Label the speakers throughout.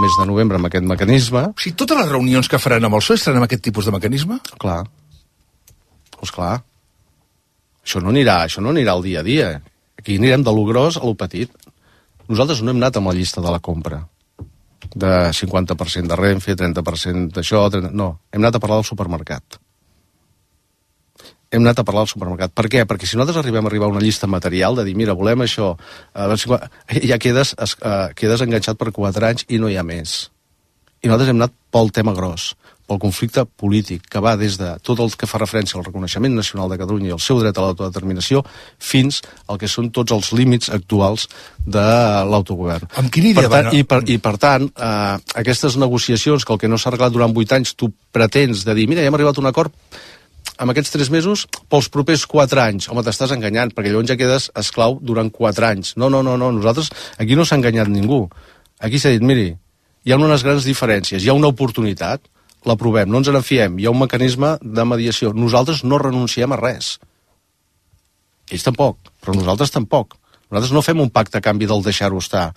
Speaker 1: mes de novembre amb aquest mecanisme.
Speaker 2: O sigui, totes les reunions que faran amb el PSOE estaran amb aquest tipus de mecanisme?
Speaker 1: Clar. Doncs clar. Això no anirà al dia a dia. Aquí anirem de lo gros a lo petit. Nosaltres no hem anat amb la llista de la compra. De 50% de Renfe, 30% d'això... No, hem anat a parlar del supermercat. Hem anat a parlar del supermercat. Per què? Perquè si nosaltres arribem a una llista material de dir, mira, volem això, ja quedes enganxat per 4 anys i no hi ha més. I nosaltres hem anat pel tema gros, pel conflicte polític, que va des de tot el que fa referència al reconeixement nacional de Catalunya i el seu dret a l'autodeterminació fins al que són tots els límits actuals de l'autogovern.
Speaker 2: Amb quina idea
Speaker 1: I per tant, aquestes negociacions, que el que no s'ha arreglat durant 8 anys, tu pretens de dir, mira, ja hem arribat a un acord amb aquests 3 mesos pels propers 4 anys. Home, t'estàs enganyant, perquè llavors ja quedes esclau durant 4 anys. No, nosaltres, aquí no s'ha enganyat ningú. Aquí s'ha dit, miri, hi ha unes grans diferències, hi ha una oportunitat, l'aprovem, no ens en fiem, hi ha un mecanisme de mediació. Nosaltres no renunciem a res. Ells tampoc, però nosaltres tampoc. Nosaltres no fem un pacte a canvi del deixar-ho estar.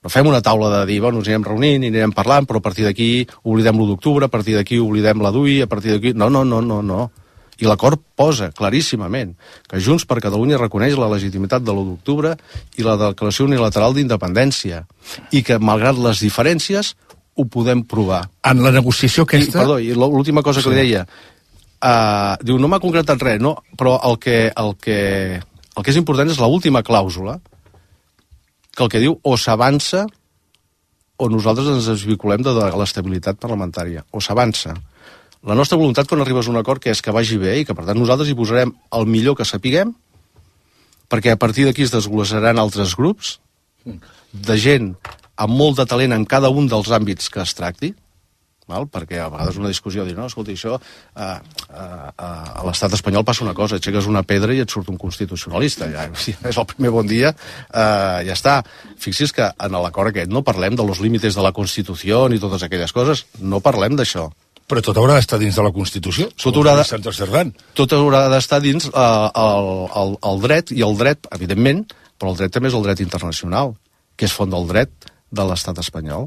Speaker 1: No fem una taula de dir, bueno, ens anirem reunint, anirem parlant, però a partir d'aquí oblidem l'1 d'octubre, a partir d'aquí oblidem la DUI, a partir d'aquí... No. I l'acord posa claríssimament que Junts per Catalunya reconeix la legitimitat de l'1 d'octubre i la declaració unilateral d'independència i que, malgrat les diferències, ho podem provar.
Speaker 2: En la negociació aquesta...
Speaker 1: I l'última cosa que li deia, diu, no m'ha concretat res, no, però el que és important és l'última clàusula, que el que diu o s'avança o nosaltres ens desvinculem de l'estabilitat parlamentària, o s'avança. La nostra voluntat quan arribes a un acord que és que vagi bé i que per tant nosaltres hi posarem el millor que sapiguem, perquè a partir d'aquí es desglossaran altres grups de gent amb molt de talent en cada un dels àmbits que es tracti, val? Perquè a vegades una discussió dir, no, escolta, això a l'estat espanyol passa una cosa, aixeques una pedra i et surt un constitucionalista, ja és el primer bon dia, ja està. Fixi's que en l'acord aquest no parlem de los límites de la Constitució ni totes aquelles coses, no parlem d'això.
Speaker 2: Però tot haurà d'estar dins de la Constitució. Tot
Speaker 1: haurà d'estar dins el dret, i el dret, evidentment, però el dret també és el dret internacional, que és font del dret de l'estat espanyol.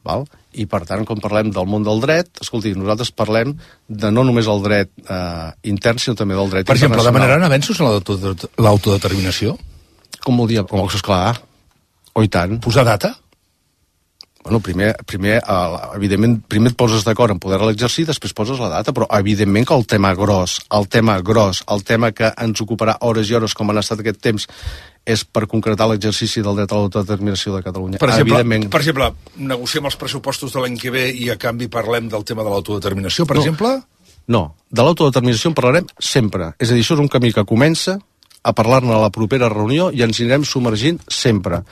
Speaker 1: Val? I, per tant, quan parlem del món del dret, escolti, nosaltres parlem de no només el dret intern, sinó també del dret internacional.
Speaker 2: Per exemple, demanaran avenços en l'autodeterminació?
Speaker 1: Com vol dir? Esclar, o i tant.
Speaker 2: Posar data?
Speaker 1: Bueno, primer, evidentment, primer et poses d'acord en poder l'exercir, després poses la data, però evidentment que el tema gros, el tema que ens ocuparà hores i hores, com han estat aquest temps, és per concretar l'exercici del dret a l'autodeterminació de Catalunya.
Speaker 2: Per exemple, negociem els pressupostos de l'any que ve i a canvi parlem del tema de l'autodeterminació, per exemple?
Speaker 1: No, de l'autodeterminació en parlarem sempre. És a dir, això és un camí que comença a parlar-ne a la propera reunió i ens anirem submergint sempre.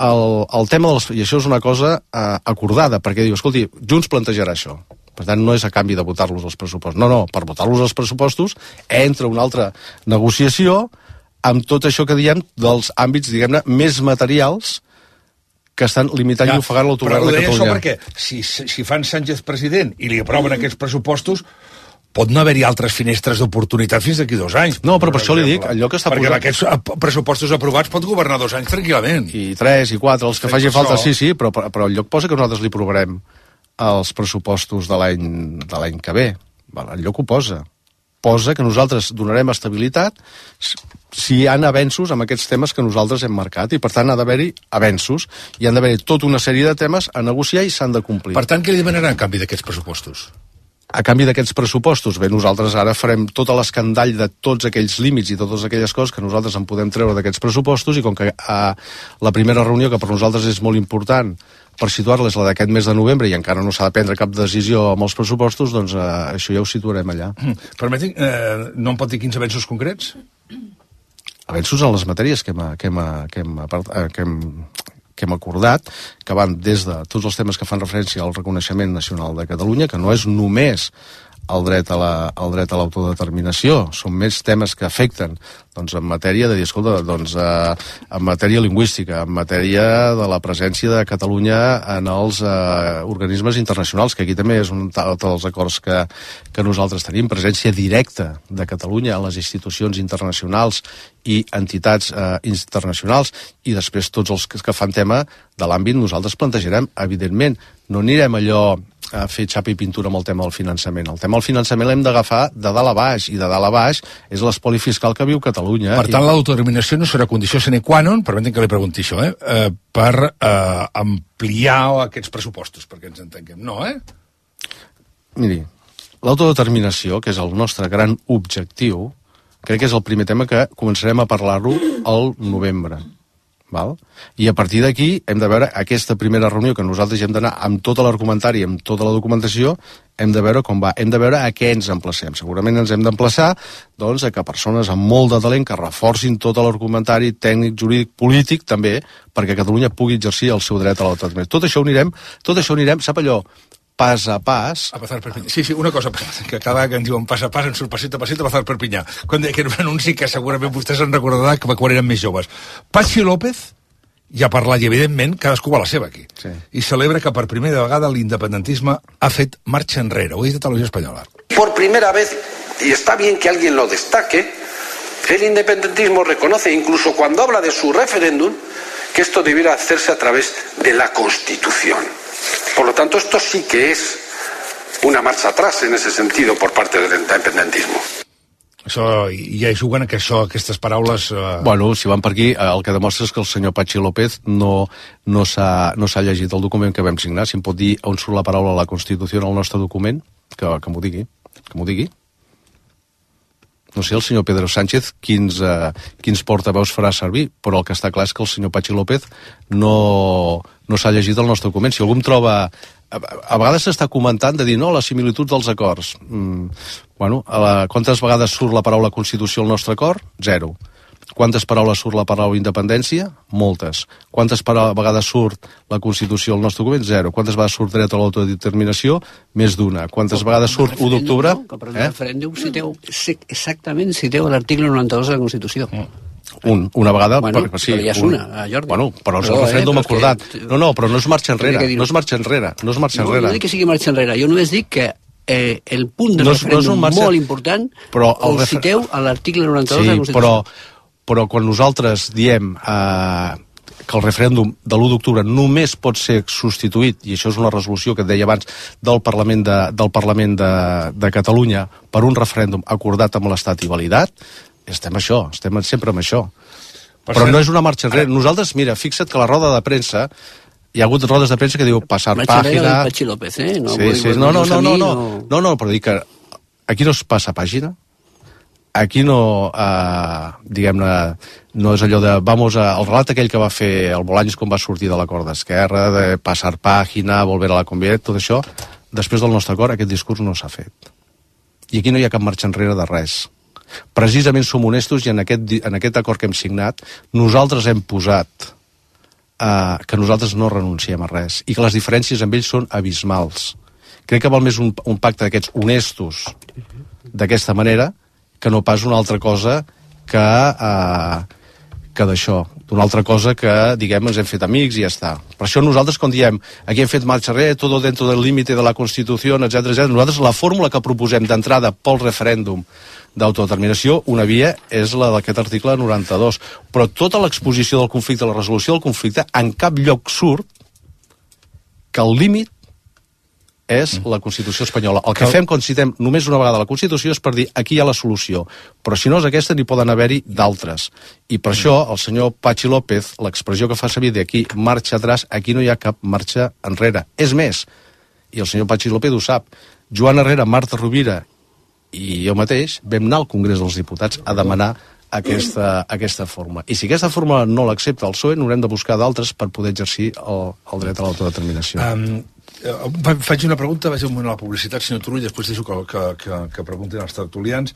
Speaker 1: El tema i això és una cosa acordada, perquè diu, escolti, Junts plantejarà això. Per tant, no és a canvi de votar-los els pressupostos. No, per votar-los els pressupostos entra una altra negociació amb tot això que diem dels àmbits, diguem-ne, més materials que estan limitant i ofegant l'autogovern de Catalunya.
Speaker 2: Però ho deia això perquè si fan Sánchez president i li aproven aquests pressupostos, pot no haver-hi altres finestres d'oportunitat fins d'aquí 2 anys.
Speaker 1: No, però per això li dic, allò que està
Speaker 2: posat... Perquè aquests pressupostos aprovats pot governar 2 anys tranquil·lament.
Speaker 1: I 3 i 4, els que faci falta, sí, però el lloc posa que nosaltres li aprovarem els pressupostos de l'any que ve. El lloc ho posa. Posa que nosaltres donarem estabilitat si hi ha avenços amb aquests temes que nosaltres hem marcat, i per tant ha d'haver-hi avenços, i han d'haver-hi tota una sèrie de temes a negociar i s'han de complir.
Speaker 2: Per tant, què li demanaran a canvi d'aquests pressupostos?
Speaker 1: A canvi d'aquests pressupostos, bé, nosaltres ara farem tot l'escandall de tots aquells límits i totes aquelles coses que nosaltres en podem treure d'aquests pressupostos, i com que la primera reunió, que per nosaltres és molt important per situar-la, és la d'aquest mes de novembre i encara no s'ha de prendre cap decisió amb els pressupostos, doncs això ja ho situarem allà.
Speaker 2: Permeti, no em pot dir quins avenços concrets?
Speaker 1: Avenços en les matèries que hem acordat, que van des de tots els temes que fan referència al reconeixement nacional de Catalunya, que no és només el dret a l'autodeterminació, són més temes que afecten doncs, en matèria de dir, escolta, doncs, en matèria lingüística, en matèria de la presència de Catalunya en els organismes internacionals, que aquí també és un dels acords que nosaltres tenim, presència directa de Catalunya en les institucions internacionals i entitats internacionals, i després tots els que fan tema de l'àmbit nosaltres plantejarem, evidentment, no anirem allò a fer xapa i pintura amb el tema del finançament. El tema del finançament l'hem d'agafar de dalt a baix, i de dalt a baix és l'espoli fiscal que viu Catalunya.
Speaker 2: Per tant, l'autodeterminació no serà condició sine qua non, permetin que li pregunti això, per ampliar aquests pressupostos, perquè ens entenguem. No,
Speaker 1: Miri, l'autodeterminació, que és el nostre gran objectiu, crec que és el primer tema que començarem a parlar-lo al novembre. Val? I a partir d'aquí hem de veure aquesta primera reunió que nosaltres hem d'anar amb tot l'argumentari, amb tota la documentació, hem de veure com va, hem de veure a què ens emplacem. Segurament ens hem d'emplaçar doncs, a que persones amb molt de talent que reforcin tot l'argumentari tècnic, jurídic, polític també, perquè Catalunya pugui exercir el seu dret a l'autodeterminació. Tot això ho anirem, sap allò, pas a pas.
Speaker 2: A pasar Perpinyà. Sí, una cosa, que cada vegada que ens diuen pas a pas, en surt pasito a pasito a pasar Perpinyà. Quan deia que era un anunci que segurament vostès en recordaran que quan eren més joves. Patxi López ja ha parlat, i evidentment cadascú va a la seva aquí.
Speaker 1: Sí.
Speaker 2: I celebra que per primera vegada l'independentisme ha fet marxa enrere. Ho ha dit a Televisió Espanyola.
Speaker 3: Por primera vez, y está bien que alguien lo destaque, el independentismo reconoce, incluso cuando habla de su referéndum, que esto debiera hacerse a través de la Constitución. Por lo tanto, esto sí que es una marcha atrás en ese sentido por parte del independentismo.
Speaker 2: Això, ja hi juguen que aquestes paraules...
Speaker 1: Bueno, si van per aquí, el que demostra és que el senyor Patxi López no s'ha llegit el document que vam signar. Si em pot dir on surt la paraula la Constitució en el nostre document, que m'ho digui. No sé, el senyor Pedro Sánchez quins portaveus farà servir, però el que està clar és que el senyor Patxi López no s'ha llegit el nostre document. Si algú em troba... A vegades s'està comentant de dir, no, la similitud dels acords. Quantes vegades surt la paraula Constitució al nostre acord? 0. Quantes paraules surt la paraula independència? Moltes. Quantes vegades surt la Constitució al nostre document? 0. Quantes vegades surt dret a l'autodeterminació? Més d'una. Quantes vegades surt 1 d'octubre?
Speaker 4: Però el referèndum citeu l'article 92 de la Constitució.
Speaker 1: Una vegada...
Speaker 4: Sí, però ja és una, Jordi.
Speaker 1: Però és el referèndum acordat. Però no és marxa enrere. No
Speaker 4: dic que sigui marxa enrere. Jo només dic que el punt de referèndum molt important el citeu a l'article 92 de la Constitució.
Speaker 1: Però quan nosaltres diem que el referèndum de l'1 d'octubre només pot ser substituït, i això és una resolució que et deia abans del Parlament de Catalunya, per un referèndum acordat amb l'Estat i validat, estem sempre amb això. Però no és una marxa enrere. Nosaltres, mira, fixa't que la roda de premsa, hi ha hagut rodes de premsa que diu passar pàgina...
Speaker 4: Marxa enrere del Patxi López,
Speaker 1: No, però dic que aquí no es passa pàgina, aquí no, diguem-ne, no és allò de, el relat aquell que va fer el Bolaños quan va sortir de l'acord d'Esquerra, de passar pàgina, volver a la convivència, tot això, després del nostre acord, aquest discurs no s'ha fet. I aquí no hi ha cap marxa enrere de res. Precisament som honestos i en aquest acord que hem signat nosaltres hem posat que nosaltres no renunciem a res i que les diferències amb ells són abismals. Crec que val més un pacte d'aquests honestos d'aquesta manera que no pas una altra cosa que d'això, d'una altra cosa que, diguem, ens hem fet amics i ja està. Per això nosaltres, quan diem aquí hem fet marxa enrere, tot dentro del límite de la Constitució, etc., nosaltres la fórmula que proposem d'entrada pel referèndum d'autodeterminació, una via és la d'aquest article 92. Però tota l'exposició del conflicte, la resolució del conflicte, en cap lloc surt que el límit és la Constitució espanyola. El que fem quan citem només una vegada la Constitució és per dir aquí hi ha la solució. Però si no és aquesta, n'hi poden haver-hi d'altres. I per això el senyor Patxi López, l'expressió que fa servir d'aquí marxa atrás, aquí no hi ha cap marxa enrere. És més, i el senyor Patxi López ho sap, Joan Herrera, Marta Rovira i jo mateix vam anar al Congrés dels Diputats a demanar aquesta fórmula. I si aquesta fórmula no l'accepta el PSOE, n'haurem de buscar d'altres per poder exercir el dret a l'autodeterminació.
Speaker 2: Faig una pregunta, vaig un moment a la publicitat, senyor Turull, després deixo que preguntin els tertulians,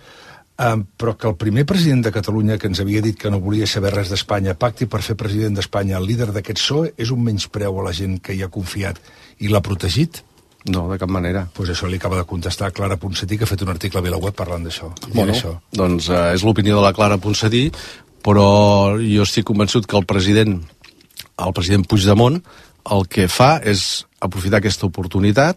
Speaker 2: però que el primer president de Catalunya que ens havia dit que no volia saber res d'Espanya pacti per fer president d'Espanya el líder d'aquest PSOE és un menyspreu a la gent que hi ha confiat i l'ha protegit?
Speaker 1: No, de cap manera.
Speaker 2: Pues això li acaba de contestar Clara Ponsatí, que ha fet un article a VilaWeb parlant d'això.
Speaker 1: Bueno, doncs és l'opinió de la Clara Ponsatí, però jo estic convençut que el president Puigdemont el que fa és aprofitar aquesta oportunitat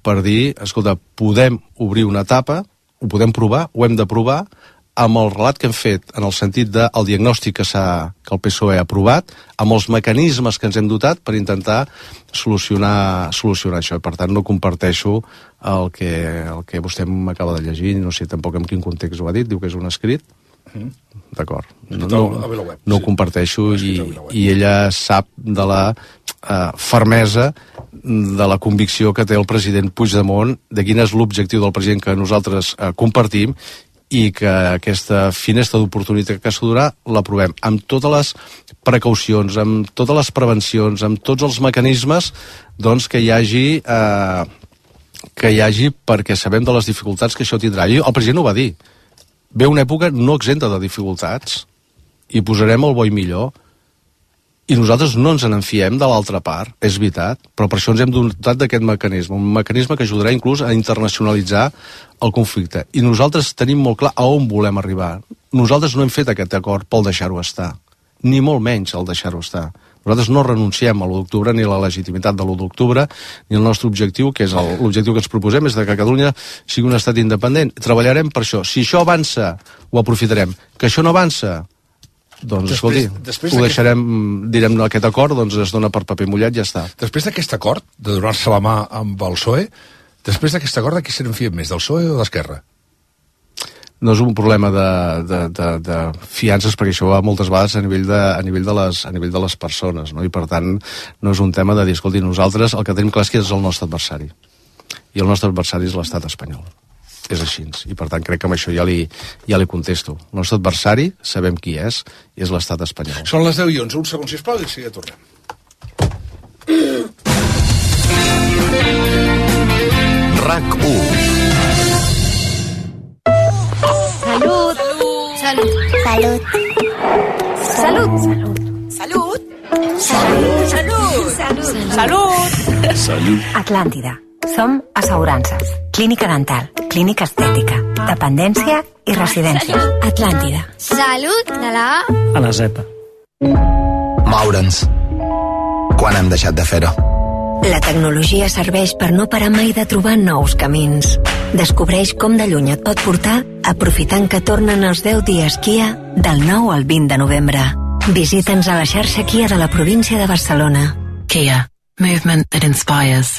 Speaker 1: per dir, escolta, podem obrir una etapa, ho podem provar, ho hem de provar, amb el relat que hem fet, en el sentit del diagnòstic que el PSOE ha aprovat, amb els mecanismes que ens hem dotat per intentar solucionar això. Per tant, no comparteixo el que vostè m'acaba de llegir, no sé tampoc en quin context ho ha dit, diu que és un escrit. D'acord. No ho comparteixo i ella sap de la fermesa, de la convicció que té el president Puigdemont, de quin és l'objectiu del president que nosaltres compartim, i que aquesta finestra d'oportunitat que s'ha donat l'aprovem amb totes les precaucions, amb totes les prevencions, amb tots els mecanismes doncs, que hi hagi perquè sabem de les dificultats que això tindrà. I el president ho va dir. Ve una època no exenta de dificultats i posarem el bo i millor i nosaltres no ens n'enfiem de l'altra part, és veritat, però per això ens hem dotat d'aquest mecanisme, un mecanisme que ajudarà inclús a internacionalitzar el conflicte. I nosaltres tenim molt clar a on volem arribar. Nosaltres no hem fet aquest acord pel deixar-ho estar, ni molt menys el deixar-ho estar. Nosaltres no renunciem a l'1 d'octubre ni a la legitimitat de l'1 d'octubre ni al nostre objectiu, que és l'objectiu que ens proposem, és que Catalunya sigui un estat independent. Treballarem per això. Si això avança, ho aprofitarem. Que això no avança, doncs, escolti, ho deixarem, direm, aquest acord, doncs es dona per paper mullat i ja està.
Speaker 2: Després d'aquest acord, de donar-se la mà amb el PSOE, després d'aquest acord, de qui se n'enfien més, del PSOE o d'Esquerra?
Speaker 1: No és un problema de fiances, perquè això va moltes vegades a nivell de les persones, no? I per tant no és un tema de dir, escolti, nosaltres el que tenim clar és que és el nostre adversari, i el nostre adversari és l'estat espanyol. És així, i per tant crec que amb això ja li contesto. El nostre adversari sabem qui és, i és l'estat espanyol.
Speaker 2: Són les 10:11, un segon, sisplau, i ja tornem.
Speaker 5: RAC1.
Speaker 6: Salut. Salut. Salut. Salut. Salut. Salut. Salut. Salut.
Speaker 5: Salut.
Speaker 7: Atlàntida. Som assegurances, clínica dental, clínica estètica, dependència i residències. Atlàntida.
Speaker 6: Salut de la
Speaker 8: A la Z.
Speaker 5: Moure'ns. Quan hem deixat de fer-ho?
Speaker 7: La tecnologia serveix per no parar mai de trobar nous camins. Descobreix com de lluny et pot portar aprofitant que tornen els 10 dies Kia del 9 al 20 de novembre. Visita'ns a la xarxa Kia de la província de Barcelona.
Speaker 9: Kia. Movement that inspires.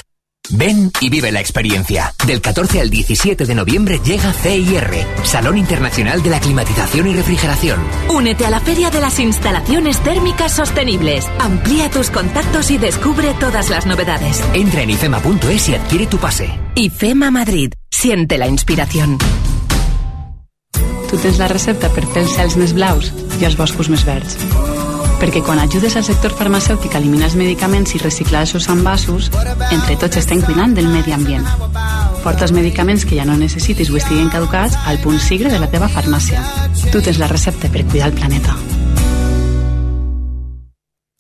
Speaker 10: Ven y vive la experiencia. Del 14 al 17 de noviembre llega CIR, Salón Internacional de la Climatización y Refrigeración.
Speaker 11: Únete a la Feria de las Instalaciones Térmicas Sostenibles. Amplía tus contactos y descubre todas las novedades.
Speaker 10: Entra en ifema.es y adquiere tu pase.
Speaker 11: IFEMA Madrid. Siente la inspiración.
Speaker 12: Tu tens la recepta per fer els cels més blaus i els boscos més verds. Perquè quan ajudes al sector farmacèutic a eliminar els medicaments i reciclar els seus envasos, entre tots estem cuidant del medi ambient. Porta els medicaments que ja no necessitis o estiguen caducats al punt sigre de la teva farmàcia. Tu tens la recepta per cuidar el planeta.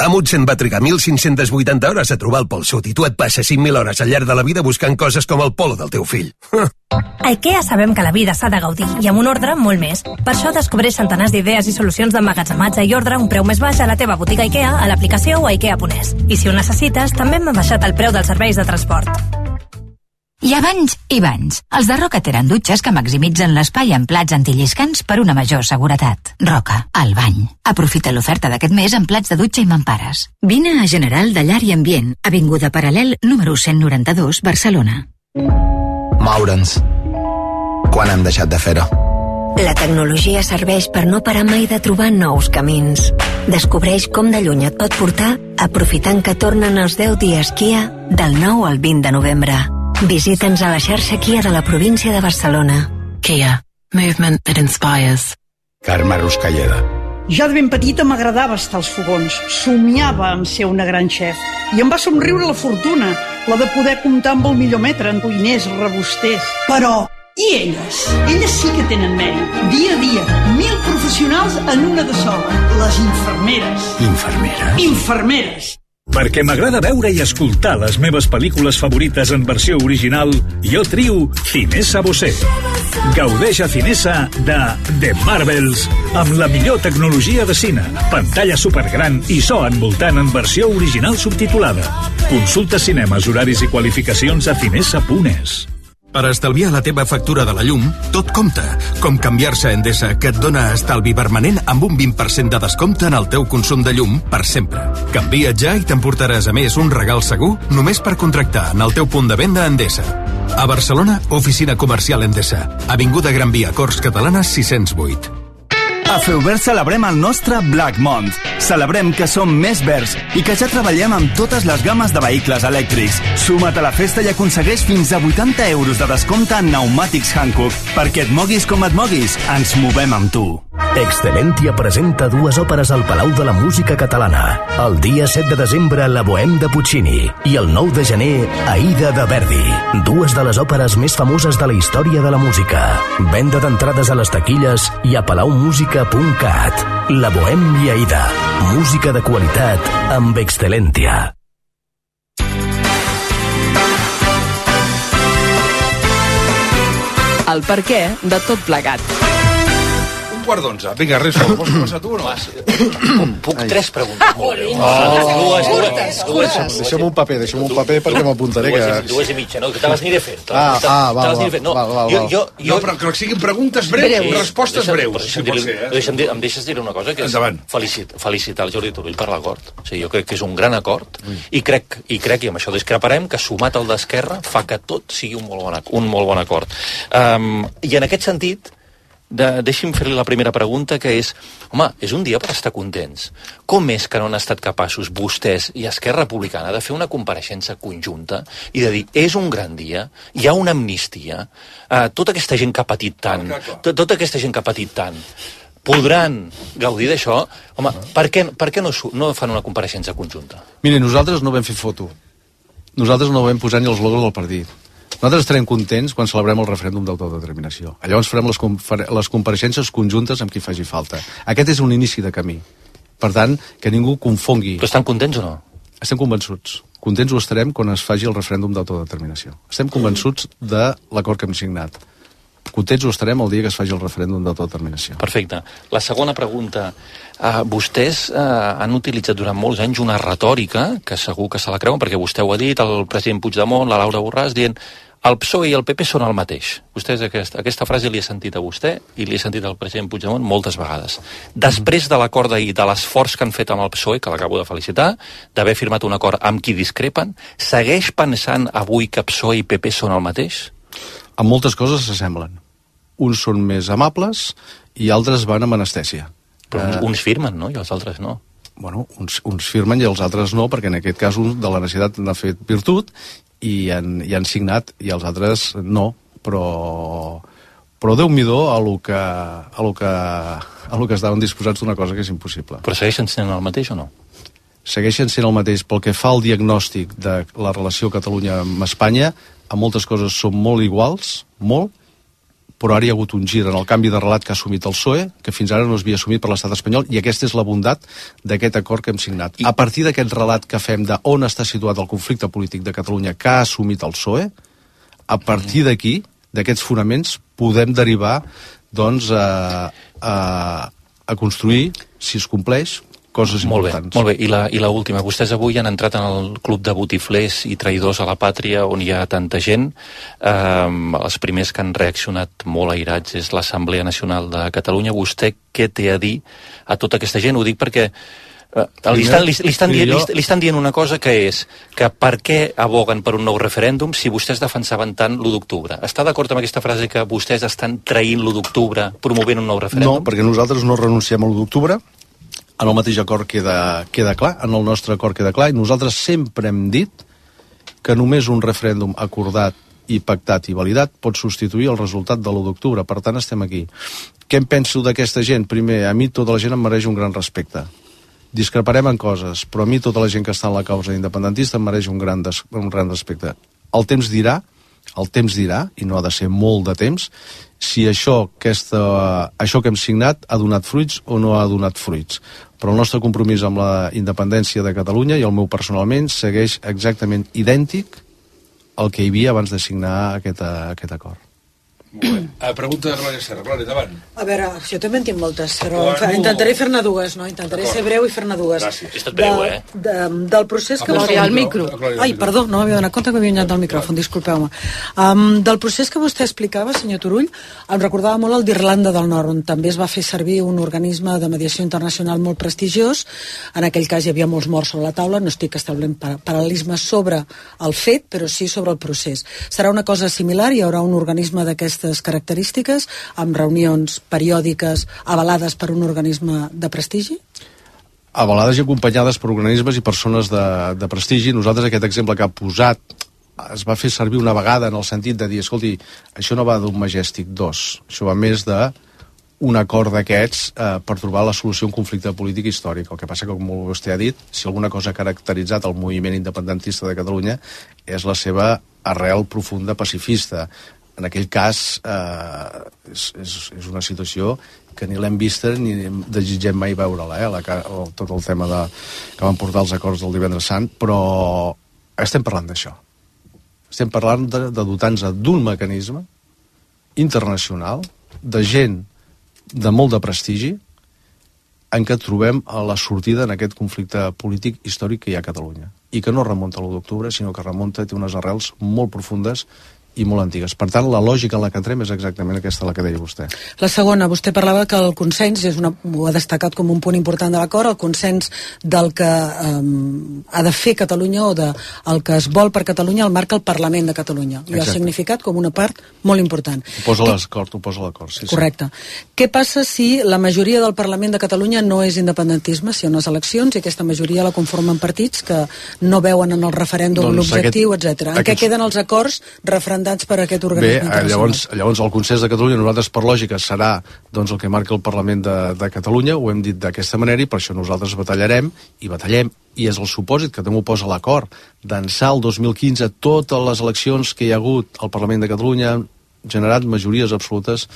Speaker 13: Amundsen va trigar 1.580 hores a trobar el Pol Sud i tu et passes 5.000 hores al llarg de la vida buscant coses com el polo del teu fill.
Speaker 14: A IKEA sabem que la vida s'ha de gaudir i amb un ordre molt més. Per això descobreix centenars d'idees i solucions d'emmagatzematge i ordre a un preu més baix a la teva botiga IKEA, a l'aplicació o a ikea.es. I si ho necessites, també hem baixat el preu dels serveis de transport.
Speaker 15: Hi ha banys i banys. Els de Roca tenen dutxes que maximitzen l'espai en plats antilliscants per una major seguretat. Roca, el bany. Aprofita l'oferta d'aquest mes en plats de dutxa i mampares. Vine a General de Llar i Ambient, avinguda Paral·lel número 192, Barcelona.
Speaker 5: Moure'ns. Quan hem deixat de fer-ho?
Speaker 7: La tecnologia serveix per no parar mai de trobar nous camins. Descobreix com de lluny et pot portar aprofitant que tornen els 10 dies Kia del 9 al 20 de novembre. Visita'ns a la xarxa Kia de la província de Barcelona.
Speaker 9: Kia. Movement that inspires.
Speaker 16: Carme Ruscalleda.
Speaker 17: Ja de ben petita m'agradava estar als fogons. Somiava en ser una gran xef. I em va somriure la fortuna, la de poder comptar amb el millor metre en cuiners, rebusters. Però, i elles? Elles sí que tenen mèrit. Dia a dia, 1.000 professionals en una de sola. Les infermeres.
Speaker 16: Infermeres?
Speaker 17: Infermeres.
Speaker 8: Perquè m'agrada veure i escoltar les meves pel·lícules favorites en versió original, jo trio Cinesa Bosé. Gaudeix a Cinesa de The Marvels amb la millor tecnologia de cine, pantalla supergran i so envoltant en versió original subtitulada. Consulta cinemes, horaris i qualificacions a cinesa.es.
Speaker 16: Per estalviar la teva factura de la llum, tot compta, com canviar-se a Endesa, que et dona estalvi permanent amb un 20% de descompte en el teu consum de llum per sempre. Canvia't ja i t'emportaràs a més un regal segur només per contractar en el teu punt de venda Endesa. A Barcelona, oficina comercial Endesa, Avinguda Gran Via, Corts Catalanes 608.
Speaker 18: A Feuvert celebrem el nostre Black Month. Celebrem que som més verds i que ja treballem amb totes les gammes de vehicles elèctrics. Suma't a la festa i aconsegueix fins a 80 euros de descompte en pneumàtics Hankook. Perquè et moguis com et moguis, ens movem amb tu.
Speaker 19: Excelentia presenta dues òperes al Palau de la Música Catalana. El dia 7 de desembre, La Bohème de Puccini, i el 9 de gener, Aida de Verdi. Dues de les òperes més famoses de la història de la música. Venda d'entrades a les taquilles i a palaumusica.cat. La Bohème i Aida. Música de qualitat amb Excelentia.
Speaker 20: El perquè de tot plegat.
Speaker 2: 11:15. Vinga, res, vols començar tu o no?
Speaker 21: Puc 3 preguntes molt bé.
Speaker 1: Dues. Deixa'm un paper perquè m'apuntaré que...
Speaker 21: 2 i mitja, no? Que te les aniré fent.
Speaker 1: Val.
Speaker 2: No, però que siguin preguntes breus, respostes breus.
Speaker 21: Em deixes dir una cosa, que és felicitar el Jordi Turull per l'acord. O sigui, jo crec que és un gran acord i crec, i amb això discreparem, que sumat al d'Esquerra fa que tot sigui un molt bon acord. I en aquest sentit, deixi'm fer-li la primera pregunta, que és, home, és un dia per estar contents. Com és que no han estat capaços vostès i Esquerra Republicana de fer una compareixença conjunta i de dir, és un gran dia, hi ha una amnistia, tota aquesta gent que ha patit tant, podran gaudir d'això? Home, per què no fan una compareixença conjunta?
Speaker 1: Miri, nosaltres no vam fer foto. Nosaltres no vam posar ni els logos del partit. Nosaltres estarem contents quan celebrem el referèndum d'autodeterminació. Llavors farem les compareixences conjuntes amb qui faci falta. Aquest és un inici de camí. Per tant, que ningú confongui...
Speaker 21: Però estan contents o no?
Speaker 1: Estem convençuts. Contents ho estarem quan es faci el referèndum d'autodeterminació. Estem convençuts de l'acord que hem signat. Contents ho estarem el dia que es faci el referèndum d'autodeterminació.
Speaker 21: Perfecte. La segona pregunta. Vostès han utilitzat durant molts anys una retòrica, que segur que se la creuen, perquè vostè ho ha dit, el president Puigdemont, la Laura Borràs, dient el PSOE i el PP són el mateix. Vostès aquesta frase li he sentit a vostè i li he sentit al president Puigdemont moltes vegades. Després de l'acord d'ahir, de l'esforç que han fet amb el PSOE, que l'acabo de felicitar, d'haver firmat un acord amb qui discrepen, segueix pensant avui que PSOE i PP són el mateix?
Speaker 1: En moltes coses s'assemblen. Uns són més amables i altres van amb anestèsia.
Speaker 21: Però uns firmen, no? I els altres no.
Speaker 1: Bueno, uns firmen i els altres no, perquè en aquest cas un de la necessitat n'ha fet virtut i han signat, i els altres no, però Déu-n'hi-do a lo que estaven disposats d'una cosa que és impossible.
Speaker 21: Però segueixen sent el mateix o no?
Speaker 1: Segueixen sent el mateix. Pel que fa al diagnòstic de la relació Catalunya amb Espanya, en moltes coses són molt iguals, molt, però ara hi ha hagut un gir en el canvi de relat que ha assumit el PSOE, que fins ara no es havia assumit per l'estat espanyol, i aquesta és la bondat d'aquest acord que hem signat. A partir d'aquest relat que fem d'on està situat el conflicte polític de Catalunya que ha assumit el PSOE, a partir d'aquí, d'aquests fonaments, podem derivar doncs, a construir, si es compleix, coses importants.
Speaker 21: Molt bé. I la última. Vostès avui han entrat en el club de botiflers i traïdors a la pàtria on hi ha tanta gent. Els primers que han reaccionat molt airats és l'Assemblea Nacional de Catalunya. Vostè què té a dir a tota aquesta gent? Ho dic perquè li estan dient una cosa, que és que per què aboguen per un nou referèndum si vostès defensaven tant l'1 d'octubre? Està d'acord amb aquesta frase que vostès estan traint l'1 d'octubre promovent un nou referèndum?
Speaker 1: No, perquè nosaltres no renunciem a l'1 d'octubre. En el mateix acord queda clar, en el nostre acord queda clar, i nosaltres sempre hem dit que només un referèndum acordat i pactat i validat pot substituir el resultat de l'1 d'octubre. Per tant, estem aquí. Què em penso d'aquesta gent? Primer, a mi tota la gent em mereix un gran respecte. Discreparem en coses, però a mi tota la gent que està en la causa independentista em mereix un gran respecte. El temps dirà el temps dirà, i no ha de ser molt de temps, si això que hem signat ha donat fruits o no ha donat fruits. Però el nostre compromís amb la independència de Catalunya i el meu personalment segueix exactament idèntic al que hi havia abans de signar aquest acord.
Speaker 2: Molt bé. Pregunta de Glòria Serra. Glòria, davant.
Speaker 3: A veure, jo també en tinc moltes, però intentaré fer-ne dues, no? Intentaré ser breu i fer-ne dues.
Speaker 21: Gràcies. Estat breu,
Speaker 3: Del procés que vostè...
Speaker 20: al micro.
Speaker 3: Ai, perdó, no m'havia donat compte que m'havia anat del micròfon, disculpeu-me. Del procés que vostè explicava, senyor Turull, em recordava molt el d'Irlanda del Nord, on també es va fer servir un organisme de mediació internacional molt prestigiós. En aquell cas hi havia molts morts sobre la taula, no estic establint paral·lelismes sobre el fet, però sí sobre el procés. Serà una cosa similar? Hi haurà un organisme d'aquestes característiques, amb reunions periòdiques avalades per un organisme de prestigi?
Speaker 1: Avalades i acompanyades per organismes i persones de prestigi. Nosaltres aquest exemple que ha posat es va fer servir una vegada en el sentit de dir, escolti, això no va d'un Majestic 2, això va més d'un acord d'aquests per trobar la solució a un conflicte polític històric. El que passa que, com vostè ha dit, si alguna cosa ha caracteritzat el moviment independentista de Catalunya és la seva arrel profunda pacifista. En aquell cas és una situació que ni l'hem vista ni desitgem mai veure-la, tot el tema que van portar els acords del Divendres Sant, però estem parlant d'això. Estem parlant de dotar-nos d'un mecanisme internacional, de gent de molt de prestigi, en què trobem la sortida en aquest conflicte polític històric que hi ha a Catalunya. I que no remunta a l'1 d'octubre, sinó que remunta, té unes arrels molt profundes i molt antigues. Per tant, la lògica en la que entrem és exactament aquesta, la que deia vostè.
Speaker 3: La segona, vostè parlava que el consens, ho ha destacat com un punt important de l'acord, el consens del que ha de fer Catalunya o del que es vol per Catalunya el marca el Parlament de Catalunya. I ha significat com una part molt important.
Speaker 1: Ho posa l'acord, sí.
Speaker 3: Correcte. Què passa si la majoria del Parlament de Catalunya no és independentisme, si hi ha unes eleccions i aquesta majoria la conformen partits que no veuen en el referèndum l'objectiu, etc. En què queden els acords referendats per aquest organisme internacional?
Speaker 1: Llavors el consens de Catalunya, nosaltres per lògica serà el que marca el Parlament de Catalunya, ho hem dit d'aquesta manera i per això nosaltres batallarem, i és el supòsit que també ho posa l'acord, d'ençà el 2015 totes les eleccions que hi ha hagut al Parlament de Catalunya han generat majories absolutes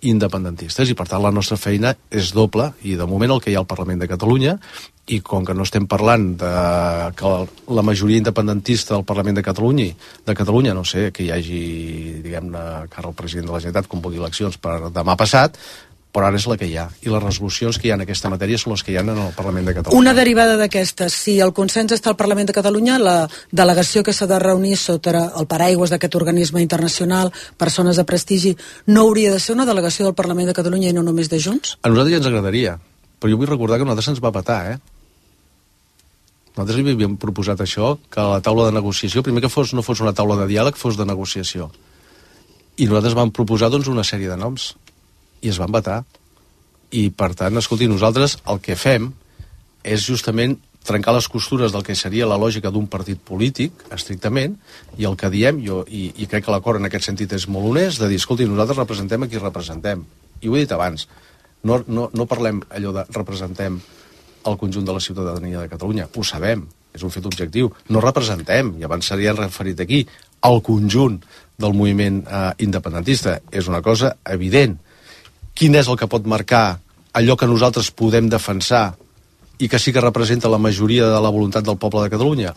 Speaker 1: independentistes, i per tant la nostra feina és doble, i de moment el que hi ha al Parlament de Catalunya, i com que no estem parlant que la majoria independentista del Parlament de Catalunya, no sé, que hi hagi, diguem-ne, que ara el president de la Generalitat convoqui eleccions per demà passat, però ara és la que hi ha. I les resolucions que hi ha en aquesta matèria són les que hi ha en el Parlament de Catalunya.
Speaker 3: Una derivada d'aquestes, si el consens està al Parlament de Catalunya, la delegació que s'ha de reunir sota el paraigües d'aquest organisme internacional, persones de prestigi, no hauria de ser una delegació del Parlament de Catalunya i no només de Junts?
Speaker 1: A nosaltres ja ens agradaria, però jo vull recordar que a nosaltres se'ns va petar, Nosaltres li havíem proposat això, que la taula de negociació, primer que no fos una taula de diàleg, fos de negociació. I nosaltres vam proposar, una sèrie de noms. I es van vetar. I, per tant, escolti, nosaltres el que fem és justament trencar les costures del que seria la lògica d'un partit polític, estrictament, i el que diem, i crec que l'acord en aquest sentit és molt honest, de dir, escolti, nosaltres representem a qui representem. I ho he dit abans, no parlem allò de representem el conjunt de la ciutadania de Catalunya, ho sabem, és un fet objectiu. No representem, i abans s'havia referit aquí, el conjunt del moviment independentista. És una cosa evident. Quin és el que pot marcar allò que nosaltres podem defensar i que sí que representa la majoria de la voluntat del poble de Catalunya?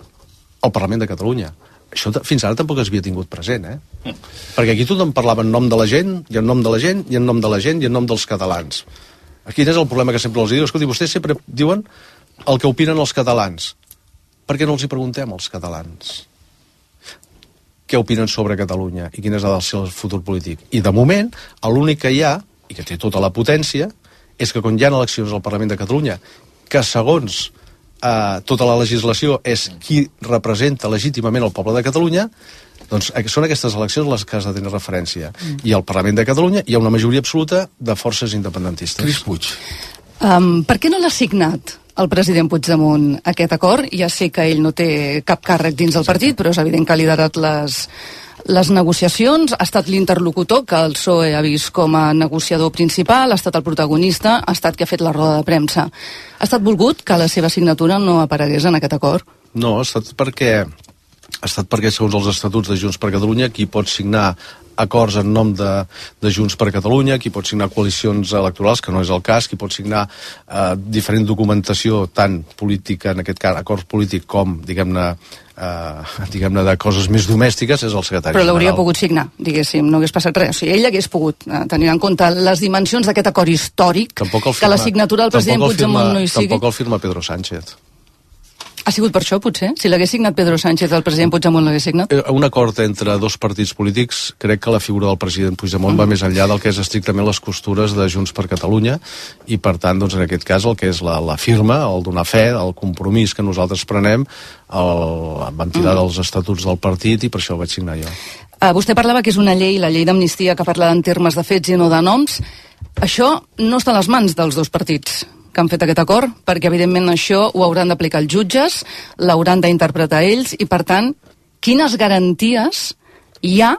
Speaker 1: El Parlament de Catalunya. Això fins ara tampoc es havia tingut present, Perquè aquí tothom parlava en nom de la gent, i en nom de la gent, i en nom de la gent, i en nom dels catalans. Aquí és el problema que sempre els diu. Escolti, vostès sempre diuen el que opinen els catalans. Per què no els hi preguntem als catalans què opinen sobre Catalunya i quin és el seu futur polític? I de moment, l'únic que hi ha, i que té tota la potència, és que quan hi ha eleccions al Parlament de Catalunya, que segons tota la legislació és qui representa legítimament el poble de Catalunya, doncs són aquestes eleccions les que has de tenir referència. I al Parlament de Catalunya hi ha una majoria absoluta de forces independentistes.
Speaker 2: Cris Puig.
Speaker 20: Per què no l'ha signat el president Puigdemont aquest acord? Ja sé que ell no té cap càrrec dins del partit, però és evident que ha liderat les negociacions, ha estat l'interlocutor que el PSOE ha vist com a negociador principal, ha estat el protagonista, ha estat qui ha fet la roda de premsa. Ha estat volgut que la seva signatura no aparegués en aquest acord?
Speaker 1: No, ha estat perquè ha estat perquè, segons els estatuts de Junts per Catalunya, qui pot signar acords en nom de Junts per Catalunya, qui pot signar coalicions electorals, que no és el cas, qui pot signar diferent documentació, tant política, en aquest cas, acords polítics, com, diguem-ne, de coses més domèstiques, és el secretari general.
Speaker 20: Però l'hauria pogut signar, diguéssim, no hagués passat res. O sigui, ell hagués pogut tenir en compte les dimensions d'aquest acord històric, que la signatura del president Puigdemont no hi sigui.
Speaker 1: Tampoc el firma Pedro Sánchez.
Speaker 20: Ha sigut per això, potser? Si l'hagués signat Pedro Sánchez, el president Puigdemont l'hagués signat?
Speaker 1: Un acord entre dos partits polítics, crec que la figura del president Puigdemont va més enllà del que és estrictament les costures de Junts per Catalunya, i per tant, doncs, en aquest cas, el que és la firma, el donar fe, el compromís que nosaltres prenem, vam tirar dels estatuts del partit, i per això ho vaig signar jo.
Speaker 20: Vostè parlava que és una llei, la llei d'amnistia, que parla en termes de fets i no de noms. Això no està a les mans dels dos partits que han fet aquest acord, perquè evidentment això ho hauran d'aplicar els jutges, l'hauran d'interpretar ells, i per tant, quines garanties hi ha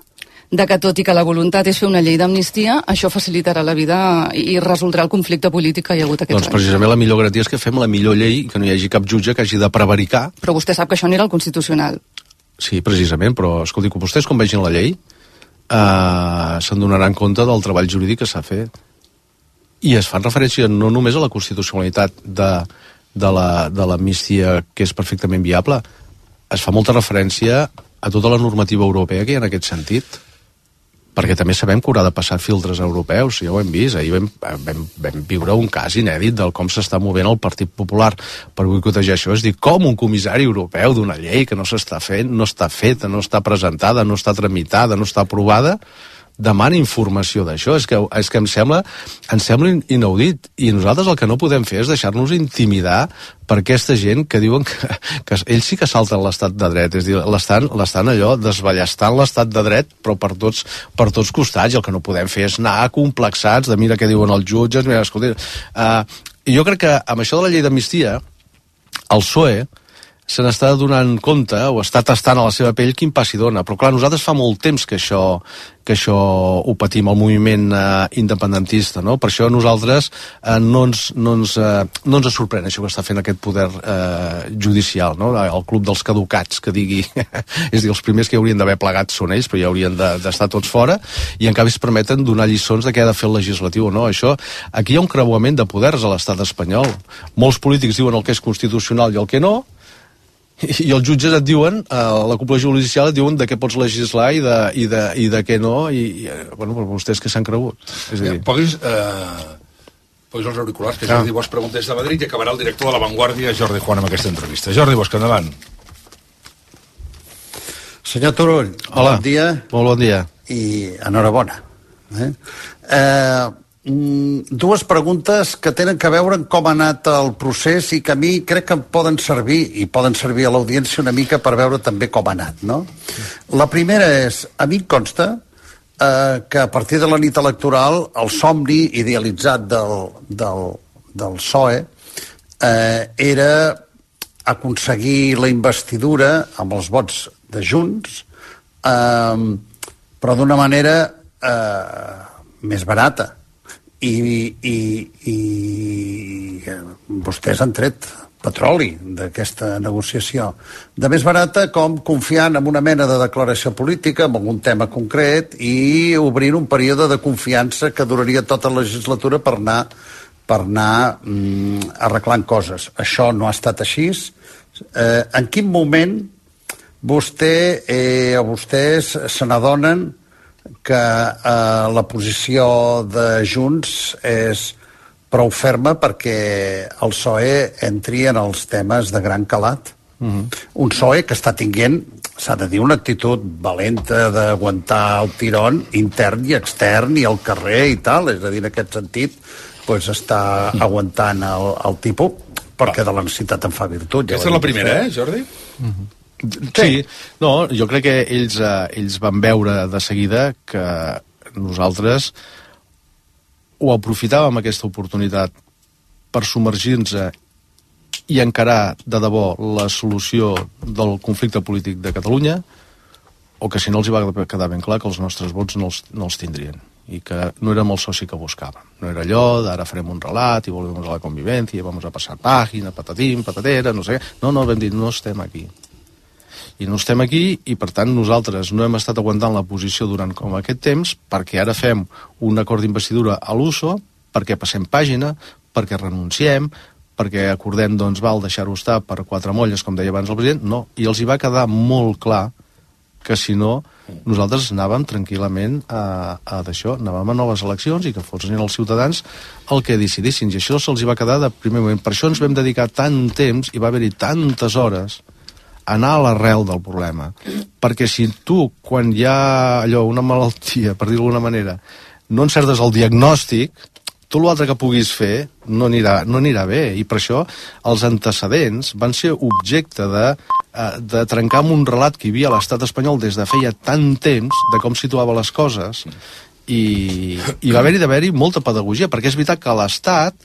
Speaker 20: de que, tot i que la voluntat és fer una llei d'amnistia, això facilitarà la vida i resoldrà el conflicte polític que hi ha hagut aquests anys?
Speaker 1: Doncs precisament la millor garantia és que fem la millor llei, que no hi hagi cap jutge que hagi de prevaricar.
Speaker 20: Però vostè sap que això anirà al Constitucional.
Speaker 1: Sí, precisament, però escolti, que vostès quan vegin la llei se'n donaran compte del treball jurídic que s'ha fet. I es fan referència no només a la constitucionalitat de l'amnistia, que és perfectament viable, es fa molta referència a tota la normativa europea que hi ha en aquest sentit, perquè també sabem que haurà de passar filtres europeus, ja ho hem vist. Ahir vam viure un cas inèdit del com s'està movent el Partit Popular per boicotejar això, és dir, com un comissari europeu d'una llei que no s'està fent, no està feta, no està presentada, no està tramitada, no està aprovada, demana informació d'això. És que em sembla inaudit, i nosaltres el que no podem fer és deixar-nos intimidar per aquesta gent que diuen que ells sí que salten l'estat de dret, és a dir, l'estan allò desballestant l'estat de dret, però per tots costats, i el que no podem fer és anar complexats de mira què diuen els jutges, mira, escolta, i jo crec que amb això de la llei d'amnistia el PSOE se n'està donant compte, o està tastant a la seva pell quin pas hi dona. Però clar, nosaltres fa molt temps que això ho patim, el moviment independentista, no? Per això a nosaltres no ens sorprèn això que està fent aquest poder judicial, no? El club dels caducats, que digui... és a dir, els primers que haurien d'haver plegat són ells, però ja haurien d'estar tots fora, i en canvi es permeten donar lliçons de què ha de fer el legislatiu, no? Aquí hi ha un creuament de poders a l'estat espanyol. Molts polítics diuen el que és constitucional i el que no, i els jutges et diuen, la cúpula judicial et diuen de què pots legislar i de què no, i bueno, però vostès que s'han cregut. És a dir...
Speaker 2: Posis els auriculars, que Jordi Bosch pregunta des de Madrid, i acabarà el director de La Vanguardia, Jordi Juan, amb aquesta entrevista. Jordi Bosch, endavant.
Speaker 4: Senyor Turull,
Speaker 1: hola.
Speaker 4: Bon dia.
Speaker 1: Molt bon dia.
Speaker 4: I enhorabona. Dues preguntes que tenen a veure amb com ha anat el procés i que a mi crec que em poden servir, i poden servir a l'audiència una mica per veure també com ha anat, no? La primera és, a mi em consta que a partir de la nit electoral el somni idealitzat del PSOE era aconseguir la investidura amb els vots de Junts, però d'una manera més barata. I vostès han tret petroli d'aquesta negociació. De més barata, com confiant en una mena de declaració política, en algun tema concret, i obrint un període de confiança que duraria tota la legislatura per anar arreglant coses. Això no ha estat així. En quin moment vostès se n'adonen que la posició de Junts és prou ferma perquè el PSOE entri en els temes de gran calat? Un PSOE que està tinguent, s'ha de dir, una actitud valenta d'aguantar el tirón intern i extern i al carrer i tal, és a dir, en aquest sentit està aguantant el tipus, perquè de la necessitat en fa virtut.
Speaker 2: Aquesta és la primera, Jordi?
Speaker 1: Sí, no, jo crec que ells van veure de seguida que nosaltres ho aprofitàvem, aquesta oportunitat, per submergir-nos i encarar de debò la solució del conflicte polític de Catalunya, o que si no els hi va quedar ben clar que els nostres vots no els tindrien, i que no érem el soci que buscàvem. No era allò d'ara farem un relat i volvemos a la convivència, vamos a passar pàgina, patatim, patatera, no sé què. No, vam dir, no estem aquí. I no estem aquí, i per tant nosaltres no hem estat aguantant la posició durant com aquest temps, perquè ara fem un acord d'investidura a l'USO, perquè passem pàgina, perquè renunciem, perquè acordem, doncs, deixar-ho estar per 4 molles, com deia abans el president. No, i els hi va quedar molt clar que si no, nosaltres anàvem tranquil·lament a d'això, anàvem a noves eleccions i que fossin els ciutadans el que decidissin, i això se'ls hi va quedar de primer moment. Per això ens vam dedicar tant temps i va haver-hi tantes hores a anar a l'arrel del problema, perquè si tu, quan hi ha allò, una malaltia, per dir-ho d'alguna manera, no encertes el diagnòstic, tot l'altre que puguis fer no anirà bé, i per això els antecedents van ser objecte de trencar amb un relat que hi havia a l'estat espanyol des de feia tant temps de com situava les coses, i va haver-hi molta pedagogia, perquè és veritat que l'Estat,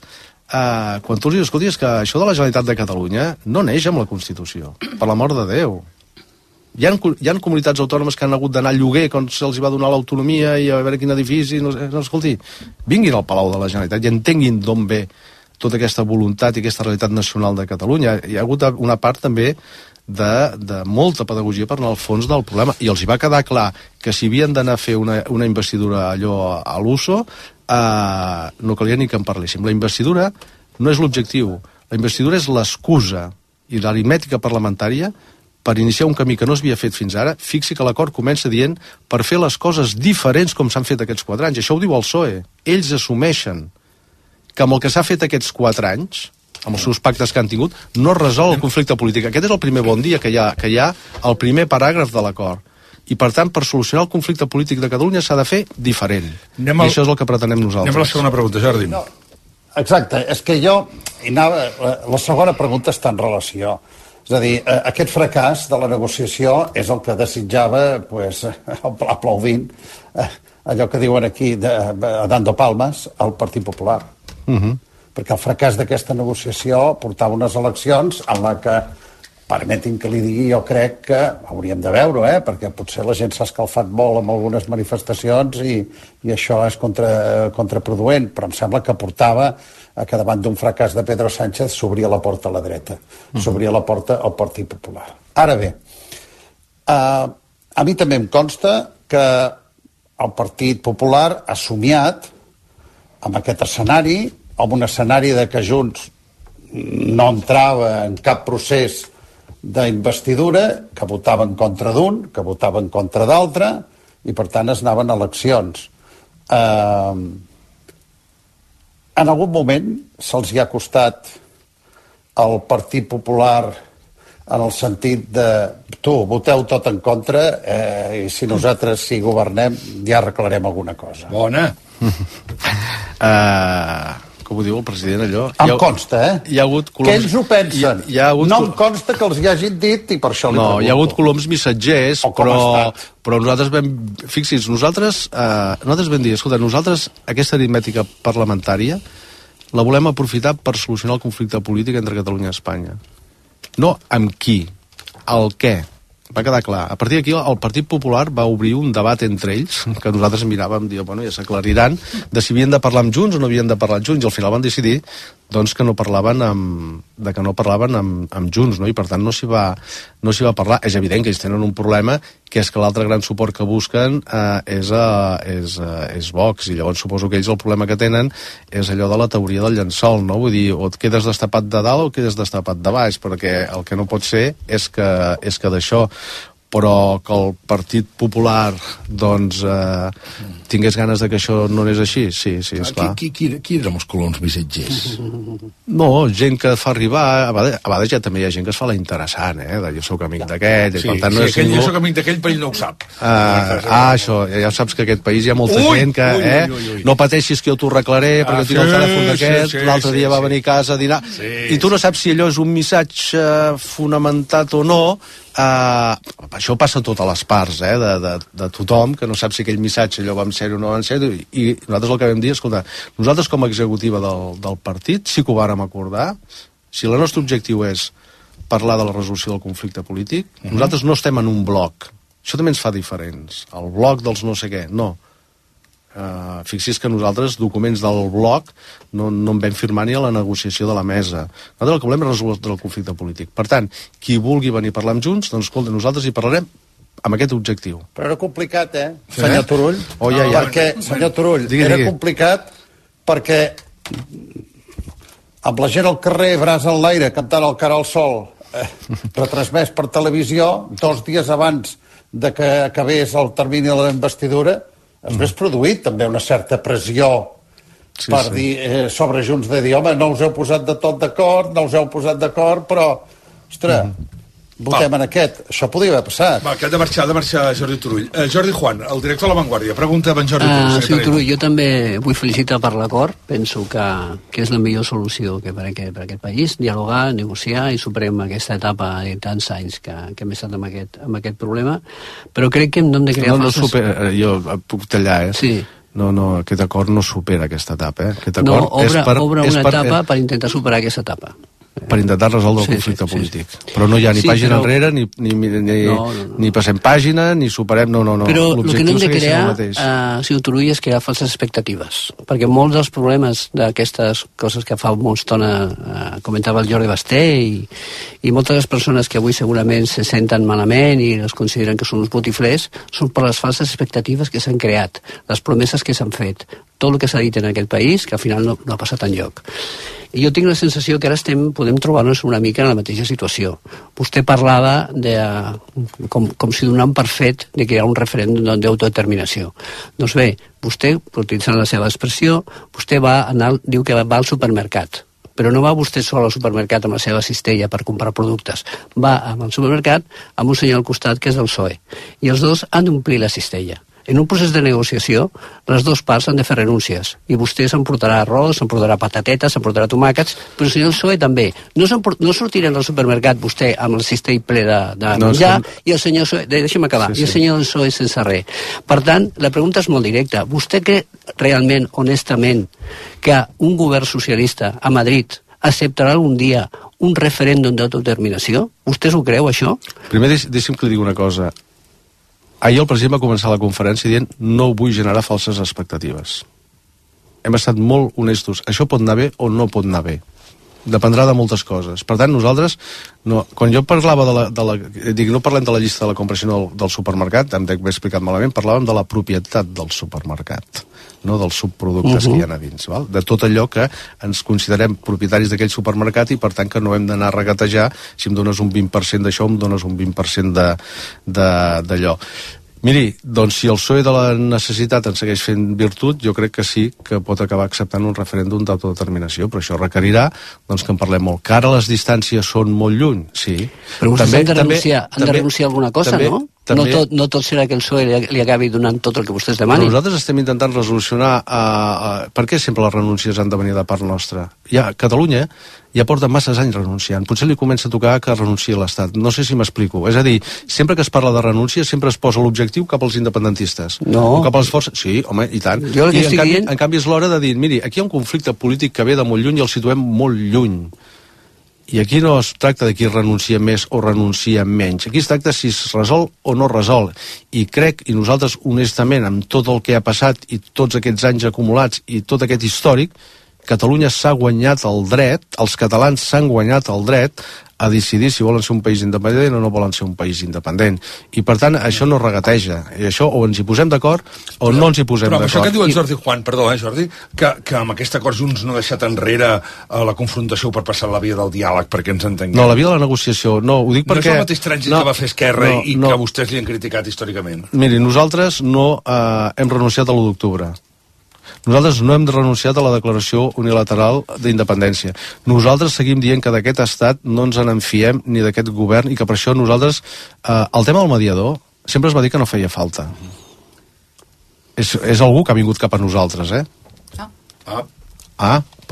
Speaker 1: quan tu els dius, escolti, és que això de la Generalitat de Catalunya no neix amb la Constitució, per l'amor de Déu. Hi ha comunitats autònomes que han hagut d'anar a lloguer quan se'ls va donar l'autonomia i a veure quin edifici... No, escolti, vinguin al Palau de la Generalitat i entenguin d'on ve tota aquesta voluntat i aquesta realitat nacional de Catalunya. Hi ha hagut una part també de molta pedagogia per anar al fons del problema, i els hi va quedar clar que si havien d'anar a fer una investidura allò a l'USO, no calia ni que en parléssim. La investidura no és l'objectiu, la investidura és l'excusa, i l'aritmètica parlamentària per iniciar un camí que no s'havia fet fins ara. Fixi que l'acord comença dient per fer les coses diferents com s'han fet aquests 4 anys. Això ho diu el PSOE. Ells assumeixen que amb el que s'ha fet aquests 4 anys, amb els seus pactes que han tingut, no resol el conflicte polític. Aquest és el primer bon dia que hi ha el primer paràgraf de l'acord. I, per tant, per solucionar el conflicte polític de Catalunya s'ha de fer diferent. I això és el que pretenem nosaltres.
Speaker 2: Anem a la segona pregunta, Jordi.
Speaker 4: No, exacte, és que jo... La segona pregunta està en relació. És a dir, aquest fracàs de la negociació és el que desitjava, aplaudint, allò que diuen aquí, dando palmes, al Partit Popular. Perquè el fracàs d'aquesta negociació portava unes eleccions en la que, permetin que li digui, jo crec que hauríem de veure, perquè potser la gent s'ha escalfat molt amb algunes manifestacions i això és contraproduent, però em sembla que portava a que davant d'un fracàs de Pedro Sánchez s'obria la porta a la dreta, s'obria la porta al Partit Popular. Ara bé, a mi també em consta que el Partit Popular ha somiat amb aquest escenari, amb un escenari de que Junts no entrava en cap procés d'investidura, que votava en contra d'un, que votava en contra d'altre, i per tant es anaven a eleccions. En algun moment se'ls hi ha costat al Partit Popular en el sentit de voteu tot en contra i si nosaltres si governem ja arreglarem alguna cosa.
Speaker 2: Bona.
Speaker 1: Com ho diu el president, allò?
Speaker 4: Em consta,
Speaker 1: Hi ha hagut coloms...
Speaker 4: Que ells ho pensen. No em consta que els hi hagin dit i per això li pregunto.
Speaker 1: No, hi ha hagut coloms missatgers, però nosaltres vam... Fixi's, nosaltres vam dir, escolta, nosaltres aquesta aritmètica parlamentària la volem aprofitar per solucionar el conflicte polític entre Catalunya i Espanya. No amb qui, el què. Va quedar clar. A partir d'aquí el Partit Popular va obrir un debat entre ells, que nosaltres miràvem, bueno, ja s'aclariran, de si havien de parlar amb Junts o no havien de parlar amb Junts, i al final van decidir doncs, que no parlaven amb Junts, no? I per tant no s'hi va parlar. És evident que ells tenen un problema, que és que l'altre gran suport que busquen és Vox, i llavors suposo que ells el problema que tenen és allò de la teoria del llençol, no? Vull dir, o et quedes destapat de dalt o et quedes destapat de baix, perquè el que no pot ser és que d'això, però que el Partit Popular doncs tingués ganes de que això no anés així, sí, esclar.
Speaker 2: Qui eren els coloms missatgers?
Speaker 1: No, gent que fa arribar, a vegades ja també hi ha gent que es fa la interessant, de jo soc amic d'aquest,
Speaker 2: sí, jo soc amic d'aquell, però ell no ho sap.
Speaker 1: Això, ja saps que aquest país hi ha molta gent que, no pateixis que jo t'ho arreglaré, perquè tinc el telèfon d'aquest, l'altre dia va venir a casa a dinar, i tu no saps si allò és un missatge fonamentat o no. Això passa a totes les parts de tothom, que no sap si aquell missatge allò va en sèrio o no va en sèrio, i nosaltres el que vam dir, escolta, nosaltres com a executiva del partit sí que ho vàrem acordar. Si el nostre objectiu és parlar de la resolució del conflicte polític, nosaltres no estem en un bloc, això també ens fa diferents, el bloc dels no sé què, no, Fixi's que nosaltres documents del bloc no en vam firmar ni a la negociació de la mesa. Nosaltres el que volem és resoldre el conflicte polític. Per tant, qui vulgui venir a parlar amb Junts, doncs escolta, nosaltres hi parlarem amb aquest objectiu.
Speaker 4: Però era complicat, senyor Turull? Senyor Turull, era complicat perquè amb la gent al carrer, braç en l'aire, cantant el cara al sol, retransmès per televisió, 2 dies abans de que acabés el termini de la investidura, es vés produït també una certa pressió per dir sobre Junts de dir, home, no us heu posat de tot d'acord, però, ostres, votem en aquest. Això podria haver passat.
Speaker 2: Va, que ha de marxar Jordi Turull. Jordi Juan, el director de La Vanguardia, pregunta a en Jordi Turull.
Speaker 6: Senyor Turull, jo també vull felicitar per l'acord. Penso que és la millor solució que per aquest país, dialogar, negociar i superem aquesta etapa de tants anys que hem estat amb aquest problema. Però crec que hem de crear
Speaker 1: jo puc tallar,
Speaker 6: Sí.
Speaker 1: No, aquest acord no supera aquesta etapa. Aquest
Speaker 6: acord obre una etapa per intentar superar aquesta etapa.
Speaker 1: Per intentar resoldre el conflicte polític. Però no hi ha ni pàgina enrere, ni passem pàgina, ni superem... No.
Speaker 6: Però el que no hem de crear, senyor Turull, és crear falses expectatives. Perquè molts dels problemes d'aquestes coses que fa molta estona comentava el Jordi Basté i moltes de les persones que avui segurament se senten malament i les consideren que són uns botiflers són per les falses expectatives que s'han creat, les promeses que s'han fet, tot el que s'ha dit en aquest país, que al final no ha passat enlloc. I jo tinc la sensació que ara podem trobar-nos una mica en la mateixa situació. Vostè parlava com si donant per fet de crear un referèndum d'autodeterminació. Doncs bé, vostè, utilitzant la seva expressió, vostè diu que va al supermercat. Però no va vostè sol al supermercat amb la seva cistella per comprar productes. Va al supermercat amb un senyor al costat que és del PSOE. I els dos han d'omplir la cistella. En un procés de negociació, les dues parts han de fer renúncies. I vostè s'emportarà arròs, s'emportarà patatetes, s'emportarà tomàquets, però el senyor PSOE també. No sortirà al supermercat vostè amb el cistell ple de menjar i el senyor PSOE... Deixa'm acabar. I el senyor PSOE sense res. Per tant, la pregunta és molt directa. Vostè creu realment, honestament, que un govern socialista a Madrid acceptarà algun dia un referèndum d'autodeterminació? Vostè s'ho creu, això?
Speaker 1: Primer, deixi'm que li digui una cosa. Ahir el president va començar la conferència dient no vull generar falses expectatives. Hem estat molt honestos. Això pot anar bé o no pot anar bé. Dependrà de moltes coses. Per tant, nosaltres, quan jo parlava no parlem de la llista de la compra, sinó del supermercat, em dec haver explicat malament, parlàvem de la propietat del supermercat, no dels subproductes que hi ha a dins, val? De tot allò que ens considerem propietaris d'aquell supermercat i per tant que no hem d'anar a regatejar si em dones un 20% d'això, em dones un 20% d'allò. Miri, doncs si el PSOE de la necessitat en segueix fent virtut, jo crec que sí que pot acabar acceptant un referèndum d'autodeterminació, però això requerirà doncs, que en parlem molt. Que ara les distàncies són molt lluny, sí.
Speaker 6: Però vostès han de renunciar a alguna cosa, no? No tot serà que el PSOE li acabi donant tot el que vostès demanin.
Speaker 1: Però nosaltres estem intentant resolucionar per què sempre les renúncies han de venir de part nostra. Catalunya ja porta masses anys renunciant. Potser li comença a tocar que renunciï a l'Estat. No sé si m'explico. És a dir, sempre que es parla de renúncia sempre es posa l'objectiu cap als independentistes.
Speaker 6: No.
Speaker 1: O cap a les forces... Sí, home, i tant. En canvi és l'hora de dir, miri, aquí hi ha un conflicte polític que ve de molt lluny i el situem molt lluny. I aquí no es tracta de qui renuncia més o renuncia menys. Aquí es tracta si es resol o no resol. I crec, i nosaltres honestament, amb tot el que ha passat i tots aquests anys acumulats i tot aquest històric, Catalunya s'ha guanyat el dret, els catalans s'han guanyat el dret a decidir si volen ser un país independent o no volen ser un país independent. I per tant, això no regateja. I això o ens hi posem d'acord o no ens hi posem d'acord.
Speaker 2: Però això que diu en Jordi Juan, perdó, Jordi, que amb aquest acord Junts no ha deixat enrere la confrontació per passar la via del diàleg, perquè ens entenguem.
Speaker 1: No, la via de la negociació, no, ho dic perquè...
Speaker 2: No és el mateix trànsit que va fer Esquerra i que vostès li han criticat històricament.
Speaker 1: Miri, nosaltres no hem renunciat a l'1 d'octubre. Nosaltres no hem renunciat a la declaració unilateral d'independència. Nosaltres seguim dient que d'aquest estat no ens en fiem ni d'aquest govern i que per això nosaltres... el tema del mediador sempre es va dir que no feia falta. És algú que ha vingut cap a nosaltres,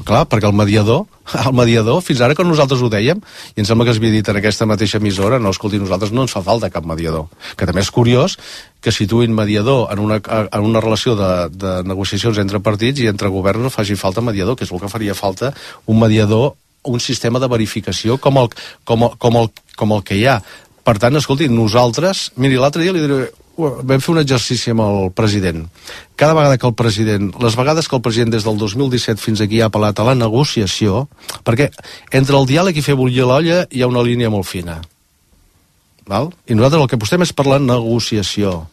Speaker 1: clar, perquè el mediador, fins ara que nosaltres ho dèiem, i em sembla que es havia dit en aquesta mateixa emissora, no, escolti, nosaltres no ens fa falta cap mediador. Que també és curiós que situïn mediador en una relació de negociacions entre partits i entre governs no faci falta mediador, que és el que faria falta un mediador, un sistema de verificació com el que hi ha. Per tant, escolti, nosaltres... Miri, l'altre dia li diré vam fer un exercici amb el president. Cada vegada que el president, les vegades que el president des del 2017 fins aquí ha apel·lat a la negociació, perquè entre el diàleg i fer bullir l'olla hi ha una línia molt fina. Val? I nosaltres el que apostem és per la negociació.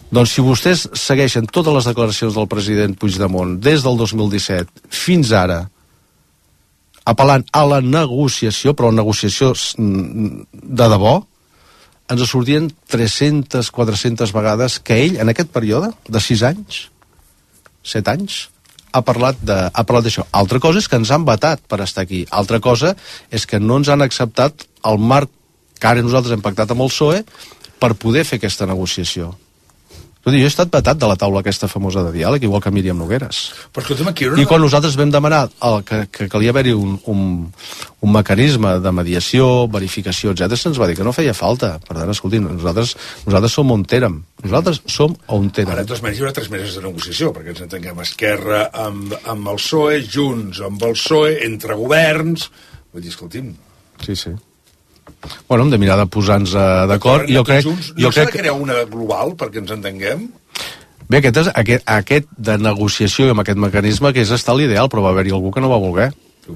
Speaker 1: Doncs si vostès segueixen totes les declaracions del president Puigdemont des del 2017 fins ara, apel·lant a la negociació, però la negociació de debò, ens sortien 300, 400 vegades que ell, en aquest període de 6 anys, 7 anys, ha parlat d'això. Altra cosa és que ens han vetat per estar aquí. Altra cosa és que no ens han acceptat el marc que ara nosaltres hem pactat amb el PSOE per poder fer aquesta negociació. Jo he estat vetat de la taula aquesta famosa de diàleg, igual que Míriam Nogueras. I quan nosaltres vam demanar que calia haver-hi un mecanisme de mediació, verificació, etc., se'ns va dir que no feia falta. Per tant, escolti, nosaltres som on érem. Nosaltres som on érem.
Speaker 2: Ara, de totes maneres, hi haurà 3 mesos de negociació, perquè ens entenguem, Esquerra amb el PSOE, Junts amb el PSOE, entre governs... Vull dir, escolti'm...
Speaker 1: Sí. Bueno, hem de mirar de posar-nos d'acord.
Speaker 2: No s'ha de crear una global perquè ens entenguem?
Speaker 1: Bé, aquest de negociació amb aquest mecanisme que és estar l'ideal, però va haver-hi algú que no va voler.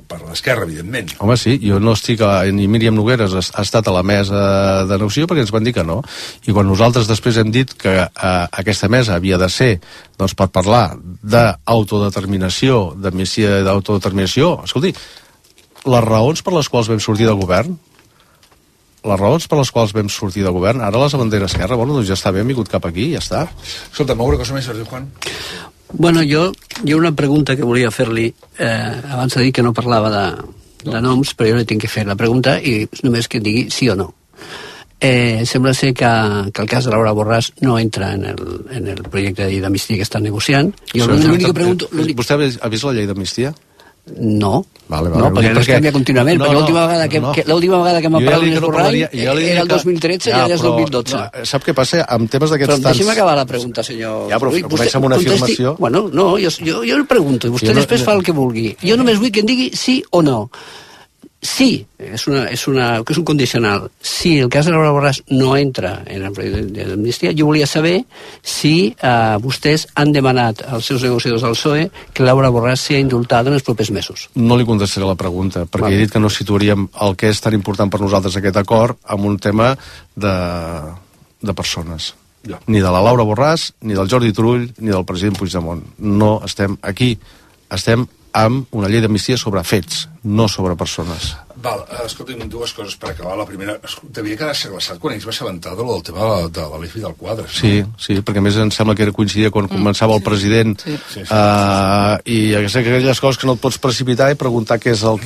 Speaker 2: Per l'esquerra, evidentment.
Speaker 1: Home, sí, jo no estic... Ni Míriam Nogueras ha estat a la mesa de negociació perquè ens van dir que no. I quan nosaltres després hem dit que aquesta mesa havia de ser doncs, per parlar d'autodeterminació, d'amnistia d'autodeterminació, escolti, les raons per les quals vam sortir de govern, ara les bandera esquerra, bueno, doncs ja està bé, hem vingut cap aquí, ja està.
Speaker 2: Escolta, alguna cosa més, Jordi Juan?
Speaker 6: Bueno, hi ha una pregunta que volia fer-li, abans de dir que no parlava de noms, però jo li tinc que fer la pregunta i només que digui sí o no. Sembla ser que el cas de Laura Borràs no entra en el projecte de llei d'amnistia que estan negociant.
Speaker 1: Vostè ha vist la llei d'amnistia?
Speaker 6: No,
Speaker 1: vale,
Speaker 6: no, perquè es canvia contínuament, perquè l'última vegada que m'ha parlat d'Ernest Borrall era el 2013 i ara és el 2012.
Speaker 1: Sap què passa? Amb temes d'aquests tants...
Speaker 6: Deixi'm acabar la pregunta, senyor.
Speaker 1: Ja, però comença amb una afirmació.
Speaker 6: Bueno, no, jo el pregunto i vostè després fa el que vulgui. Jo només vull que em digui sí o no. Sí, és un condicional. Si el cas de Laura Borràs no entra en el projecte d'amnistia, jo volia saber si vostès han demanat als seus negociadors del PSOE que Laura Borràs sigui indultada en els propers mesos.
Speaker 1: No li contestaré la pregunta, perquè he dit que no situaríem el que és tan important per nosaltres aquest acord amb un tema de persones. Ni de la Laura Borràs, ni del Jordi Turull, ni del president Puigdemont. No estem aquí, estem amb una llei d'amnistia sobre fets, no sobre persones.
Speaker 2: Val, escolta'm, 2 coses per acabar. La primera, devia quedar seglaçat quan ells va assabentar del tema de l'Alif i del Quadre.
Speaker 1: Sí, perquè a més em sembla que coincidia quan començava el president i aquelles coses que no et pots precipitar i preguntar què és el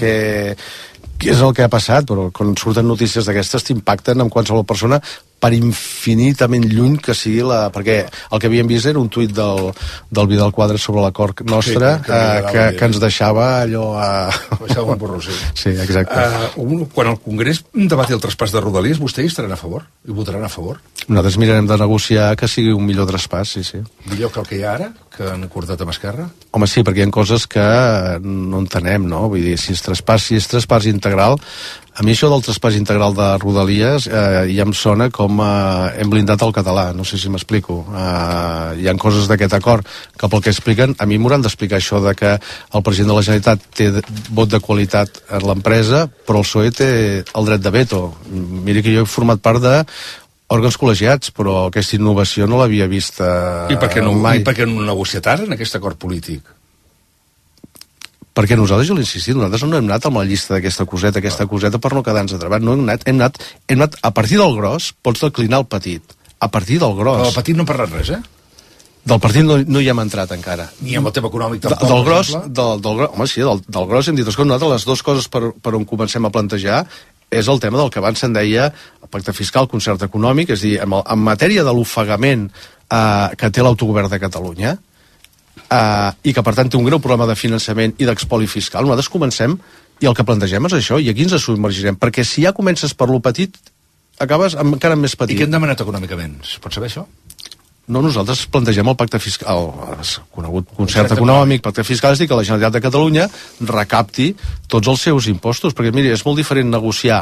Speaker 1: que ha passat, però quan surten notícies d'aquestes t'impacten amb qualsevol persona per infinitament lluny que sigui perquè el que havíem vist era un tuit del Vidal Quadras sobre l'acord nostre que ens deixava allò
Speaker 2: deixava un borró, sí.
Speaker 1: Sí, exacte.
Speaker 2: Quan el Congrés debati el traspàs de Rodalies, vostès hi estaran a favor? I votaran a favor?
Speaker 1: Nosaltres mirarem de negociar que sigui un millor traspàs, sí.
Speaker 2: Millor que el que hi ha ara, que han acordat amb Esquerra?
Speaker 1: Home, sí, perquè hi ha coses que no entenem, no? Vull dir, si és traspàs integral, a mi això del traspàs integral de Rodalies ja em sona com hem blindat el català, no sé si m'explico. Hi ha coses d'aquest acord que pel que expliquen, a mi m'hauran d'explicar això de que el president de la Generalitat té vot de qualitat en l'empresa, però el PSOE té el dret de veto. Miri que jo he format part de òrgans col·legiats, però aquesta innovació no l'havia vista
Speaker 2: mai. I per què no
Speaker 1: han
Speaker 2: negociat ara en aquest acord polític?
Speaker 1: Perquè nosaltres, jo l'he insistit, nosaltres no hem anat amb la llista d'aquesta coseta per no quedar-nos atrapat. No hem anat a partir del gros, pots declinar el petit. A partir del gros.
Speaker 2: Del petit no hem parlat res,
Speaker 1: Del partit no hi hem entrat encara.
Speaker 2: Ni amb el tema econòmic tampoc,
Speaker 1: del gros, home, sí, del gros hem dit, escolta, nosaltres les 2 coses per on comencem a plantejar és el tema del que abans se'n deia el pacte fiscal, concert econòmic, és a dir, en matèria de l'ofegament que té l'autogovern de Catalunya, i que per tant té un greu problema de finançament i d'expoli fiscal, nosaltres comencem i el que plantegem és això, i aquí ens submergirem, perquè si ja comences per lo petit acabes encara més petit.
Speaker 2: I què hem demanat econòmicament? Es pot saber això?
Speaker 1: No, nosaltres plantegem el pacte fiscal, el conegut concert econòmic, pacte fiscal, és dir, que la Generalitat de Catalunya recapti tots els seus impostos, perquè miri, és molt diferent negociar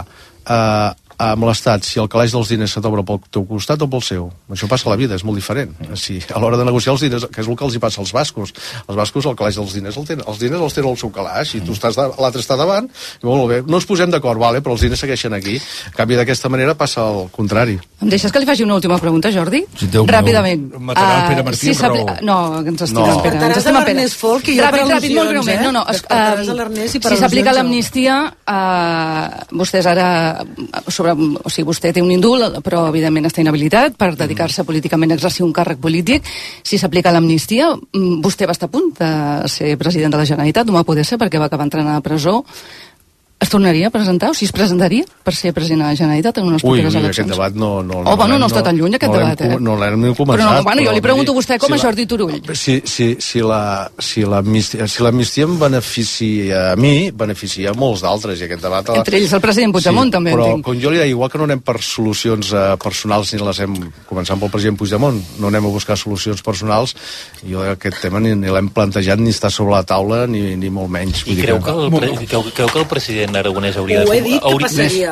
Speaker 1: amb l'Estat, si el calaix dels diners se t'obre pel teu costat o pel seu. Això passa a la vida, és molt diferent. Si a l'hora de negociar els diners, que és el que els hi passa als bascos. Els bascos, el calaix dels diners, els diners els tenen al seu calaix, i tu l'altre està davant, i molt bé, no ens posem d'acord, vale, però els diners segueixen aquí. En canvi, d'aquesta manera passa el contrari.
Speaker 20: Em deixes que li faci una última pregunta, Jordi?
Speaker 2: Si Ràpidament. Matarà el Pere Martí amb raó.
Speaker 20: No, ens estimem, Pere. Ens estimem, Pere. Ràpid, molt breument. Si s'aplica l'amnistia, vostès ara... O sigui, vostè té un indult, però evidentment està inhabilitat per dedicar-se políticament a exercir un càrrec polític. Si s'aplica l'amnistia, vostè va estar a punt de ser president de la Generalitat, no va poder ser perquè va acabar entrant a la presó. Es tornaria a presentar, o si es presentaria per ser president de la Generalitat en unes properes eleccions?
Speaker 1: Aquest debat no
Speaker 20: està tan lluny, aquest debat,
Speaker 1: No l'hem començat.
Speaker 20: Però jo li pregunto a vostè com a Jordi Turull.
Speaker 1: Si l'amnistia em beneficia a mi, beneficia a molts d'altres, i aquest debat...
Speaker 20: Entre ells el president Puigdemont, també,
Speaker 1: però,
Speaker 20: entenc.
Speaker 1: com jo li deia, igual que no anem per solucions personals, ni les hem començant pel president Puigdemont, no anem a buscar solucions personals, jo aquest tema ni l'hem plantejat, ni està sobre la taula, ni molt menys.
Speaker 21: I creu que el president Aragonès hauria de...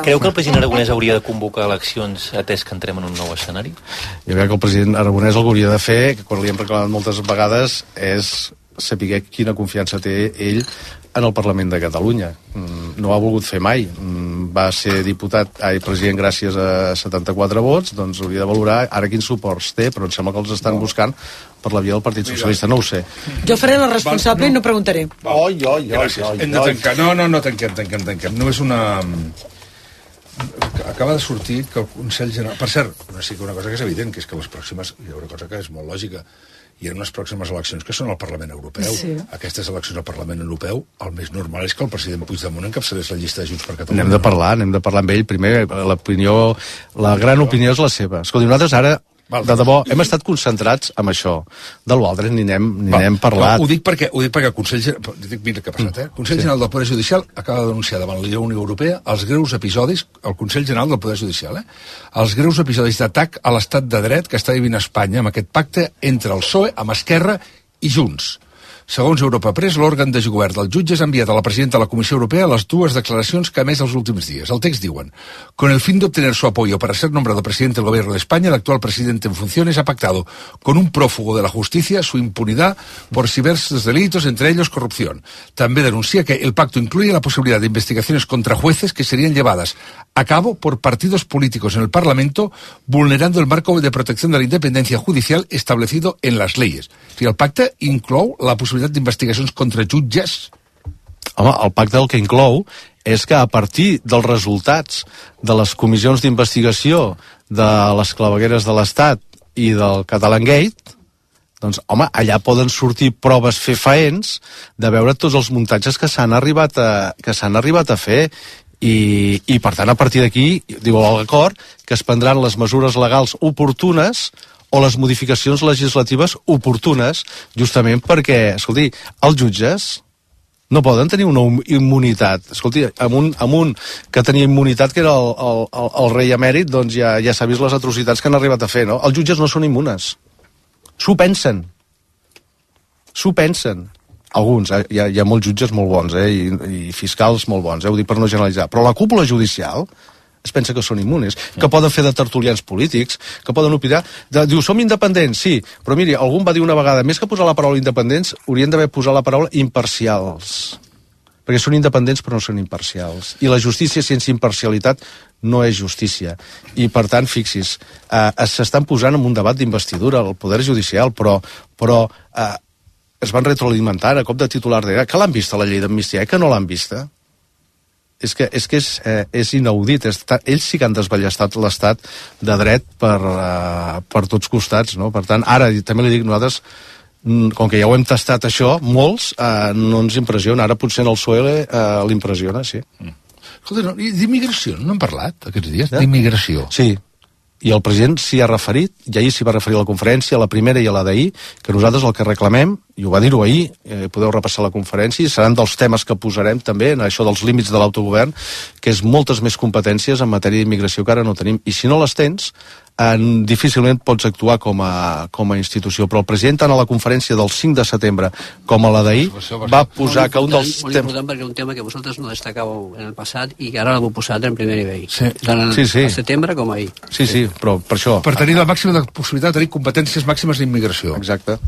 Speaker 21: Creu que el president Aragonès hauria de convocar eleccions atès que entrem en un nou escenari?
Speaker 1: Jo crec que el president Aragonès el que hauria de fer, que quan li hem reclamat moltes vegades, és saber quina confiança té ell en el Parlament de Catalunya. No ho ha volgut fer mai. Va ser president gràcies a 74 vots, doncs hauria de valorar ara quins suports té, però em sembla que els estan buscant per la via del Partit Socialista, no ho sé.
Speaker 3: Jo faré la responsable i no preguntaré.
Speaker 2: Hem de tancar. No, tanquem. No és una... Acaba de sortir que el Consell General... Per cert, sí que una cosa que és evident, que és que les pròximes... Hi ha una cosa que és molt lògica. Hi ha unes pròximes eleccions que són al Parlament Europeu. Sí. Aquestes eleccions al Parlament Europeu, el més normal és que el president Puigdemont encapçalés la llista de Junts per Catalunya.
Speaker 1: Anem de parlar amb ell. Primer, la gran opinió és la seva. Escolti, nosaltres ara, de debò, hem estat concentrats en això. De l'altre ni n'hem parlat.
Speaker 2: Ho dic perquè el Consell General... Mira què ha passat, eh? El Consell General del Poder Judicial acaba de denunciar davant la Unió Europea els greus episodis, el Consell General del Poder Judicial, els greus episodis d'atac a l'estat de dret que està vivint Espanya amb aquest pacte entre el PSOE, amb Esquerra i Junts. Segons Europa Press, l'òrgan de govern dels jutges ha enviat a la presidenta de la Comissió Europea les dues declaracions que ha emès els últims días. El text diuen: con el fin de obtener su apoyo para ser nombrado presidente del gobierno de España, el actual presidente en funciones ha pactado con un prófugo de la justicia su impunidad por diversos delitos, entre ellos corrupción. També denuncia que el pacto incluye la posibilidad de investigaciones contra jueces que serían llevadas a cabo por partidos políticos en el Parlamento, vulnerando el marco de protección de la independencia judicial establecido en las leyes. O sigui, el pacte inclou la possibilitat d'investigacions contra jutges?
Speaker 1: Home, el pacte el que inclou és que a partir dels resultats de les comissions d'investigació de les clavegueres de l'Estat i del Catalangate, doncs, home, allà poden sortir proves fefaents de veure tots els muntatges que s'han arribat a fer i per tant, a partir d'aquí, diu l'acord, que es prendran les mesures legals oportunes o les modificacions legislatives oportunes, justament perquè, escolti, els jutges no poden tenir una immunitat. Escolti, amb un que tenia immunitat, que era el rei emèrit, doncs ja s'ha vist les atrocitats que han arribat a fer, no? Els jutges no són immunes. S'ho pensen. Alguns, hi ha molts jutges molt bons, i fiscals molt bons, ho dic per no generalitzar. Però la cúpula judicial es pensa que són immunes, que poden fer de tertulians polítics, que poden opinar... Diu, som independents, sí, però miri, algú va dir una vegada, més que posar la paraula independents, haurien d'haver posat la paraula imparcials. Perquè són independents però no són imparcials. I la justícia sense imparcialitat no és justícia. I, per tant, fixis, s'estan posant en un debat d'investidura al Poder Judicial, però es van retroalimentar a cop de titular de que l'han vista la llei d'amnistia, que no l'han vista. És que és inaudit. Ells sí que han desballestat l'estat de dret per tots costats, no? Per tant, ara també li dic, nosaltres, com que ja ho hem tastat això, molts no ens impressiona. Ara potser en el PSOE l'impressiona, sí.
Speaker 2: Escolta, d'immigració, no hem parlat aquests dies? D'immigració.
Speaker 1: Sí, i el president s'hi ha referit, i ahir s'hi va referir a la conferència, a la primera i a la d'ahir, que nosaltres el que reclamem i ho va dir-ho ahir, podeu repassar la conferència, seran dels temes que posarem també en això dels límits de l'autogovern, que és moltes més competències en matèria d'immigració que ara no tenim, i si no les tens, difícilment pots actuar com a institució, però el president tant a la conferència del 5 de setembre com a la d'ahir va posar que un dels
Speaker 6: temes... Molt important perquè un tema que vosaltres no destacàveu en el passat i que ara l'heu posat en primer nivell, tant al setembre com ahir.
Speaker 1: Sí, però per això...
Speaker 2: Per tenir la màxima possibilitat de tenir competències màximes d'immigració.
Speaker 1: Exacte.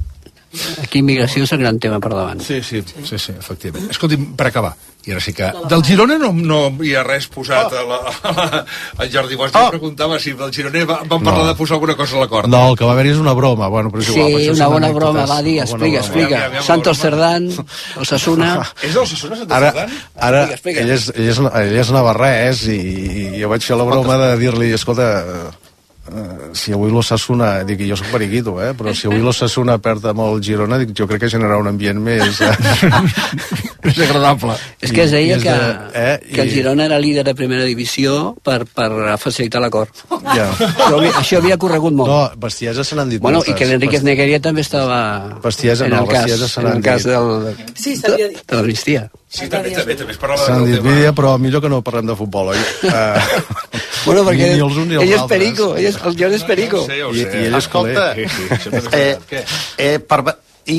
Speaker 6: Aquí immigració és el gran tema per davant.
Speaker 2: Sí, efectivament. Escolti'm, per acabar, i ara sí que... Del Girona no hi ha res posat el Jordi Bosch preguntava si del Girona van parlar de posar alguna cosa a l'acord.
Speaker 1: No, el que va haver és una broma. Bueno, però és igual,
Speaker 6: sí, una bona broma, va dir, explica. Santos Cerdán, Osasuna...
Speaker 2: És d'Osasuna, Santos Cerdán?
Speaker 1: Ara, ell és navarrès i jo vaig fer la broma de dir-li, escolta... si avui l'Osasuna, dic, jo soc periquito, però si avui l'Osasuna perd amb el Girona, dic, jo crec que generarà un ambient més agradable.
Speaker 6: És que es deia que el Girona era líder de primera divisió per facilitar l'acord. Això havia corregut molt.
Speaker 1: No, Bestiesa se n'han dit
Speaker 6: moltes. I que l'Enriquez Negueria també estava
Speaker 1: Bestiesa
Speaker 6: en el cas de l'amnistia.
Speaker 2: Sí, també es parlava
Speaker 1: s'han dit vídeo, però millor que no parlem de futbol, oi?
Speaker 6: Bueno, perquè ell és perico, el Jordi és perico.
Speaker 4: I ell és colta. I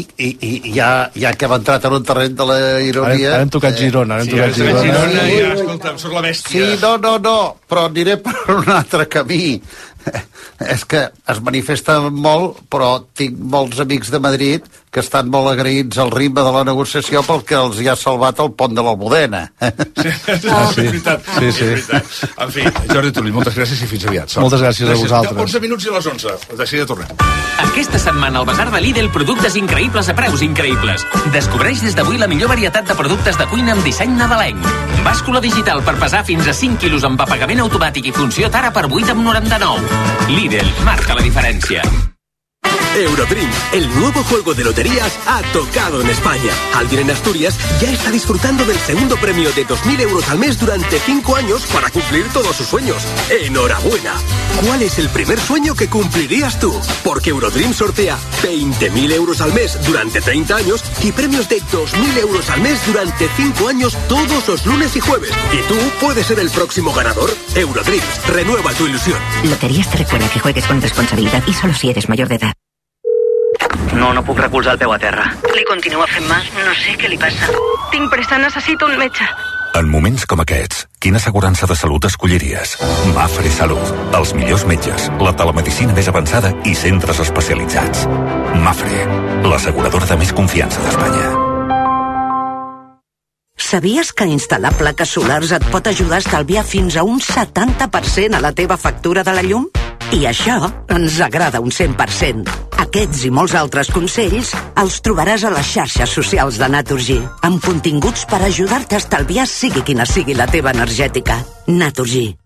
Speaker 4: ja que hem entrat en un terreny de la ironia...
Speaker 1: Ara hem tocat Girona,
Speaker 2: i ja, escolta, em surt la bèstia.
Speaker 4: Sí, no, però aniré per un altre camí. És que es manifesta molt, però tinc molts amics de Madrid que estan molt agraïts al ritme de la negociació pel que els hi ha salvat el pont de l'Almudena.
Speaker 2: És veritat. En fi, Jordi Turull, moltes gràcies i fins aviat.
Speaker 1: Moltes gràcies a vosaltres.
Speaker 2: 11 minuts i a les 11. De seguida tornem.
Speaker 10: Aquesta setmana al Basar de Lidl, productes increïbles a preus increïbles. Descobreix des d'avui la millor varietat de productes de cuina amb disseny nadalenc. Bàscula digital per pesar fins a 5 quilos amb apagament automàtic i funció Tara per 8,99. Lidl, marca la diferencia.
Speaker 22: Eurodream, el nuevo juego de loterías, ha tocado en España. Alguien en Asturias ya está disfrutando del segundo premio de 2.000 euros al mes durante 5 años para cumplir todos sus sueños. ¡Enhorabuena! ¿Cuál es el primer sueño que cumplirías tú? Porque Eurodream sortea 20.000 euros al mes durante 30 años y premios de 2.000 euros al mes durante 5 años todos los lunes y jueves. ¿Y tú puedes ser el próximo ganador? Eurodream, renueva tu ilusión.
Speaker 7: Loterías te recuerda que juegues con responsabilidad y solo si eres mayor de edad.
Speaker 23: No puc recolzar el peu a terra.
Speaker 24: Li continua fent mal, no sé què li passa. Tinc pressa, necessito un metge.
Speaker 25: En moments com aquests, quina assegurança de salut escolliries? Mafre Salut. Els millors metges, la telemedicina més avançada i centres especialitzats. Mafre, l'asseguradora de més confiança d'Espanya.
Speaker 24: Sabies que instal·lar plaques solars et pot ajudar a estalviar fins a un 70% a la teva factura de la llum? I això ens agrada un 100%. Aquests i molts altres consells els trobaràs a les xarxes socials de Naturgy, amb continguts per ajudar-te a estalviar sigui quina sigui la teva energètica. Naturgy.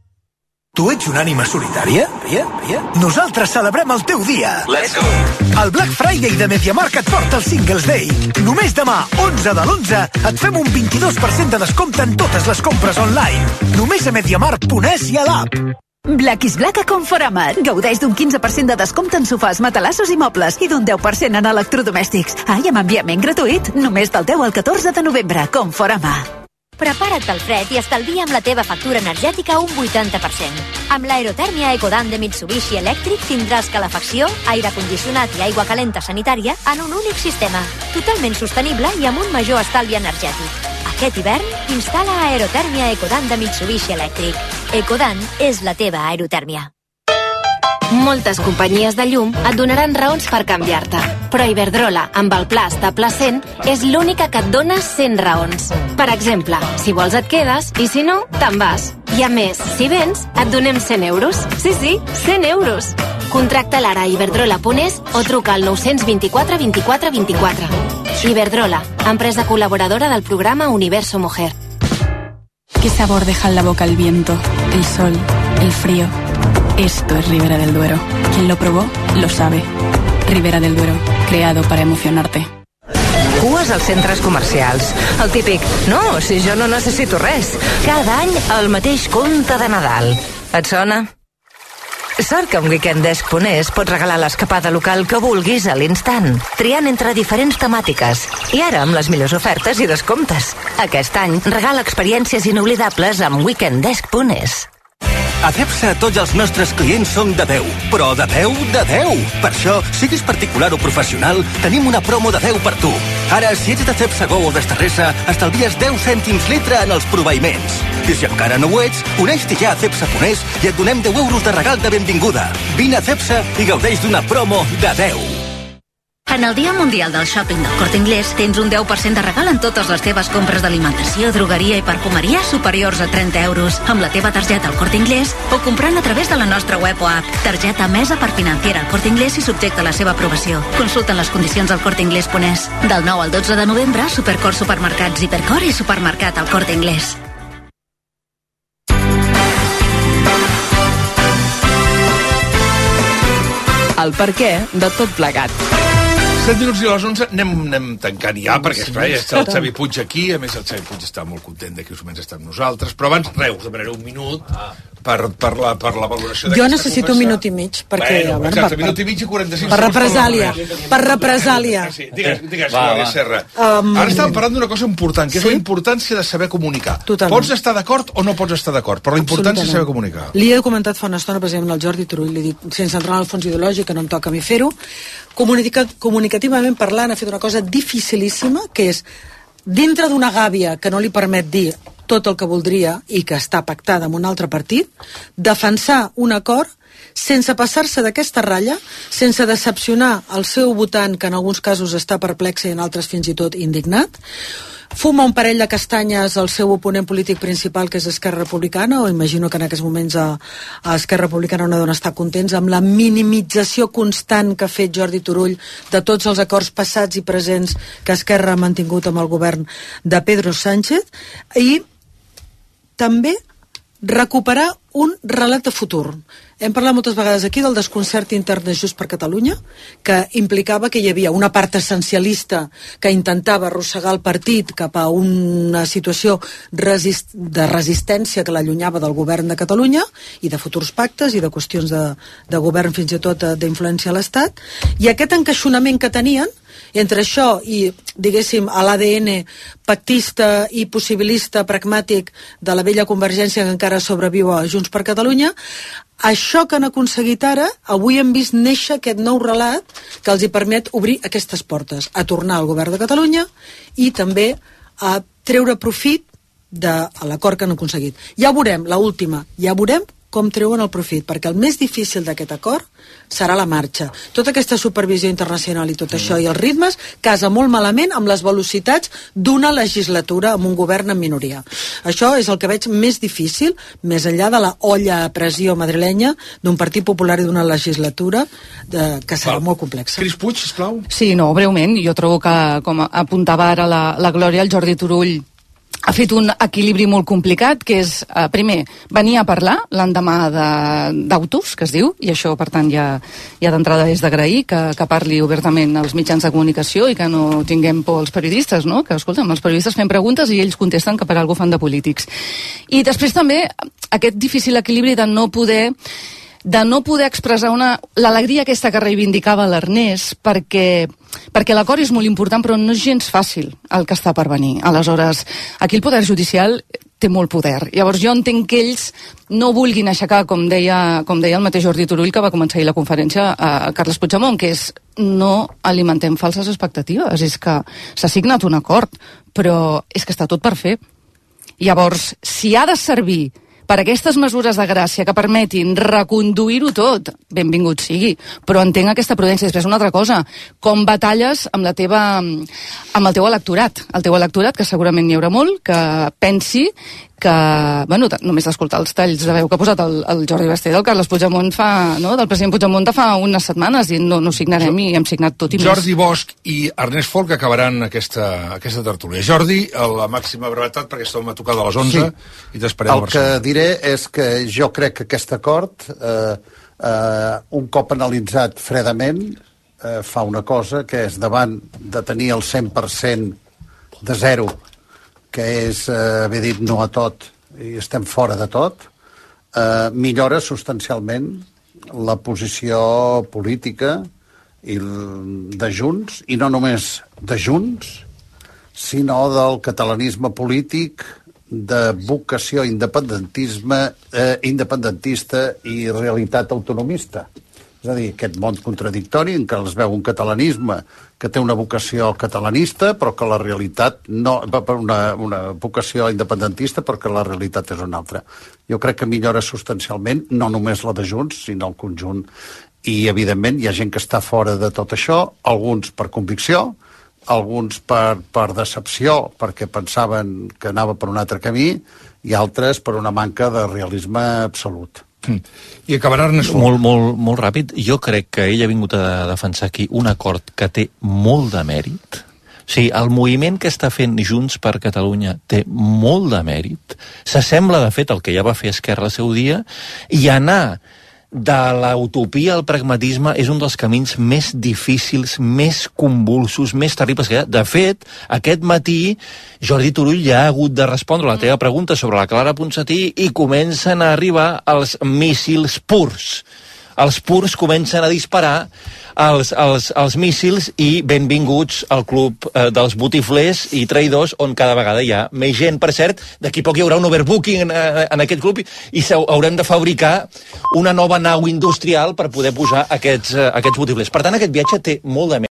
Speaker 26: Tu ets una ànima solitària? Nosaltres celebrem el teu dia.
Speaker 22: Let's go!
Speaker 26: El Black Friday de MediaMarkt et porta el Singles Day. Només demà, 11 de l'11, et fem un 22% de descompte en totes les compres online. Només a MediaMarkt.es i a l'app.
Speaker 27: Black is Black a Conforama. Gaudeix d'un 15% de descompte en sofàs, matalassos i mobles i d'un 10% en electrodomèstics. I amb enviament gratuït només del 10 al 14 de novembre. Conforama.
Speaker 28: Prepara't pel fred i estalvia amb la teva factura energètica un 80%. Amb l'aerotèrmia Ecodan de Mitsubishi Electric tindràs calefacció, aire condicionat i aigua calenta sanitària en un únic sistema, totalment sostenible i amb un major estalvi energètic. Aquest hivern, instal·la aerotèrmia Ecodan de Mitsubishi Electric. Ecodan és la teva aerotèrmia.
Speaker 29: Moltes companyies de llum et donaran raons per canviar-te, però Iberdrola, amb el pla Estable 100, és l'única que et dona 100 raons. Per exemple, si vols et quedes i si no, te'n vas. I a més, si vens, et donem 100 euros. Sí, 100 euros. Contracta l'ara a iberdrola.es o truca al 924 24 24. Iberdrola, empresa colaboradora del programa Universo Mujer.
Speaker 12: ¿Qué sabor deja en la boca el viento, el sol, el frío? Esto es Ribera del Duero. Quien lo probó, lo sabe. Ribera del Duero, creado para emocionarte.
Speaker 30: Cues als centres comercials. El típic, no, si jo no necessito res. Cada any el mateix conte de Nadal. Et sona? Sort que amb weekenddesk.es pots regalar l'escapada local que vulguis a l'instant, triant entre diferents temàtiques. I ara amb les millors ofertes i descomptes. Aquest any regala experiències inoblidables amb weekenddesk.es.
Speaker 5: A Cepsa tots els nostres clients són de 10, però de 10 de 10. Per això, siguis particular o professional, tenim una promo de 10 per tu. Ara, si ets de Cepsa Go o d'Estarresa, estalvies 10 cèntims litre en els proveïments. I si encara no ho ets, uneix-t'hi ja a Cepsa.es i et donem 10 euros de regal de benvinguda. Vine a Cepsa i gaudeix d'una promo de 10.
Speaker 28: En el Dia Mundial del Shopping del Corte Inglés tens un 10% de regal en totes les teves compres d'alimentació, drogueria i perfumeria superiors a 30 euros amb la teva targeta al Corte Inglés o comprant a través de la nostra web o app. Targeta emesa per Financiera al Corte Inglés i subjecta a la seva aprovació. Consulta les condicions al corteinglés.es. Del 9 al 12 de novembre, Supercor Supermercats Hipercor i Supermercat al Corte Inglés.
Speaker 8: El perquè de tot plegat.
Speaker 2: 7 minuts i a les 11 anem tancant ja, perquè esclar, ja està el Xavi Puig aquí, a més el Xavi Puig està molt content de que us menys està amb nosaltres, però abans, us demanaré un minut per la valoració d'aquesta
Speaker 3: Jo necessito un minut i mig, perquè...
Speaker 2: Bueno, exacte, minut i mig i 45
Speaker 3: per represàlia.
Speaker 2: Sí, digues, Serra. Ara estàvem parlant d'una cosa important, que és la importància de saber comunicar.
Speaker 3: Totalment.
Speaker 2: Pots estar d'acord o no pots estar d'acord, però la importància de saber comunicar.
Speaker 3: Li he comentat fa una estona, precisament, al Jordi Turull, li he dit, sense entrar en el fons ideològic, que no em toca a mi fer-ho, comunicativament parlant, ha fet una cosa dificilíssima, que és, dintre d'una gàbia que no li permet dir tot el que voldria i que està pactada amb un altre partit, defensar un acord sense passar-se d'aquesta ratlla, sense decepcionar el seu votant, que en alguns casos està perplex i en altres fins i tot indignat, fuma un parell de castanyes al seu oponent polític principal, que és Esquerra Republicana, o imagino que en aquests moments a Esquerra Republicana no deuen estar contents amb la minimització constant que ha fet Jordi Turull de tots els acords passats i presents que Esquerra ha mantingut amb el govern de Pedro Sánchez, i també recuperar un relat de futur. Hem parlat moltes vegades aquí del desconcert intern de Junts per Catalunya, que implicava que hi havia una part essencialista que intentava arrossegar el partit cap a una situació de resistència que l'allunyava del govern de Catalunya i de futurs pactes i de qüestions de govern, fins i tot d'influència a l'Estat, i aquest encaixonament que tenien entre això i, diguéssim, a l'ADN pactista i possibilista pragmàtic de la vella Convergència que encara sobreviu a Junts per Catalunya, això que han aconseguit ara, avui hem vist néixer aquest nou relat que els hi permet obrir aquestes portes, a tornar al govern de Catalunya i també a treure profit de l'acord que han aconseguit. Ja veurem, l'última, ja veurem com treuen el profit, perquè el més difícil d'aquest acord serà la marxa. Tota aquesta supervisió internacional i tot això i els ritmes casa molt malament amb les velocitats d'una legislatura amb un govern en minoria. Això és el que veig més difícil, més enllà de la olla a pressió madrilenya d'un Partit Popular i d'una legislatura que serà molt complexa.
Speaker 2: Cris Puig, sisplau.
Speaker 20: Sí, no, breument. Jo trobo que, com apuntava ara la Glòria, el Jordi Turull ha fet un equilibri molt complicat, que és, primer, venir a parlar l'endemà d'autos, que es diu, i això, per tant, ja d'entrada és d'agrair que parli obertament als mitjans de comunicació i que no tinguem por als periodistes, no? Que, escolta'm, els periodistes fem preguntes i ells contesten que per alguna cosa fan de polítics. I després també aquest difícil equilibri de no poder expressar l'alegria aquesta que reivindicava l'Ernest, perquè l'acord és molt important, però no és gens fàcil el que està per venir. Aleshores, aquí el poder judicial té molt poder. Llavors jo entenc que ells no vulguin aixecar, com deia el mateix Jordi Turull, que va començar ahir la conferència, a Carles Puigdemont, que és no alimentem falses expectatives. És que s'ha signat un acord, però és que està tot per fer. Llavors, si ha de servir per aquestes mesures de gràcia que permetin reconduir-ho tot, benvingut sigui, però entenc aquesta prudència. Després una altra cosa, com batalles amb el teu electorat. El teu electorat, que segurament n'hi haurà molt, que pensi que, bueno, només d'escoltar els talls de veu que ha posat el Jordi Basté del Carles Puigdemont del president Puigdemont fa unes setmanes, dient no signarem i hem signat tot i més.
Speaker 2: Jordi Bosch i Ernest Folk acabaran aquesta tertúlia. Jordi, la màxima brevetat, perquè estàvem a tocar de les 11 i t'esperem a Barcelona.
Speaker 4: El que diré és que jo crec que aquest acord, un cop analitzat fredament, fa una cosa, que és davant de tenir el 100% de zero, que és haver dit no a tot i estem fora de tot, millora substancialment la posició política de Junts, i no només de Junts, sinó del catalanisme polític, de vocació independentista i realitat autonomista. És a dir, aquest món contradictori en què es veu un catalanisme que té una vocació catalanista, però que la realitat no... una vocació independentista, però que la realitat és una altra. Jo crec que millora substancialment, no només la de Junts, sinó el conjunt. I, evidentment, hi ha gent que està fora de tot això, alguns per convicció, alguns per decepció, perquè pensaven que anava per un altre camí, i altres per una manca de realisme absolut.
Speaker 2: I acabarà Ernest
Speaker 9: molt ràpid. Jo crec que ell ha vingut a defensar aquí un acord que té molt de mèrit. O sigui, el moviment que està fent Junts per Catalunya té molt de mèrit. S'assembla, de fet, al que ja va fer Esquerra al seu dia, i anar de l'utopia al pragmatisme és un dels camins més difícils, més convulsos, més terribles que hi ha. De fet, aquest matí Jordi Turull ja ha hagut de respondre a la teva pregunta sobre la Clara Ponsatí i comencen a arribar els míssils purs. Els purs comencen a disparar els míssils i benvinguts al club dels botiflers i traïdors, on cada vegada hi ha més gent. Per cert, d'aquí poc hi haurà un overbooking en aquest club i haurem de fabricar una nova nau industrial per poder posar aquests botiflers. Per tant, aquest viatge té molt de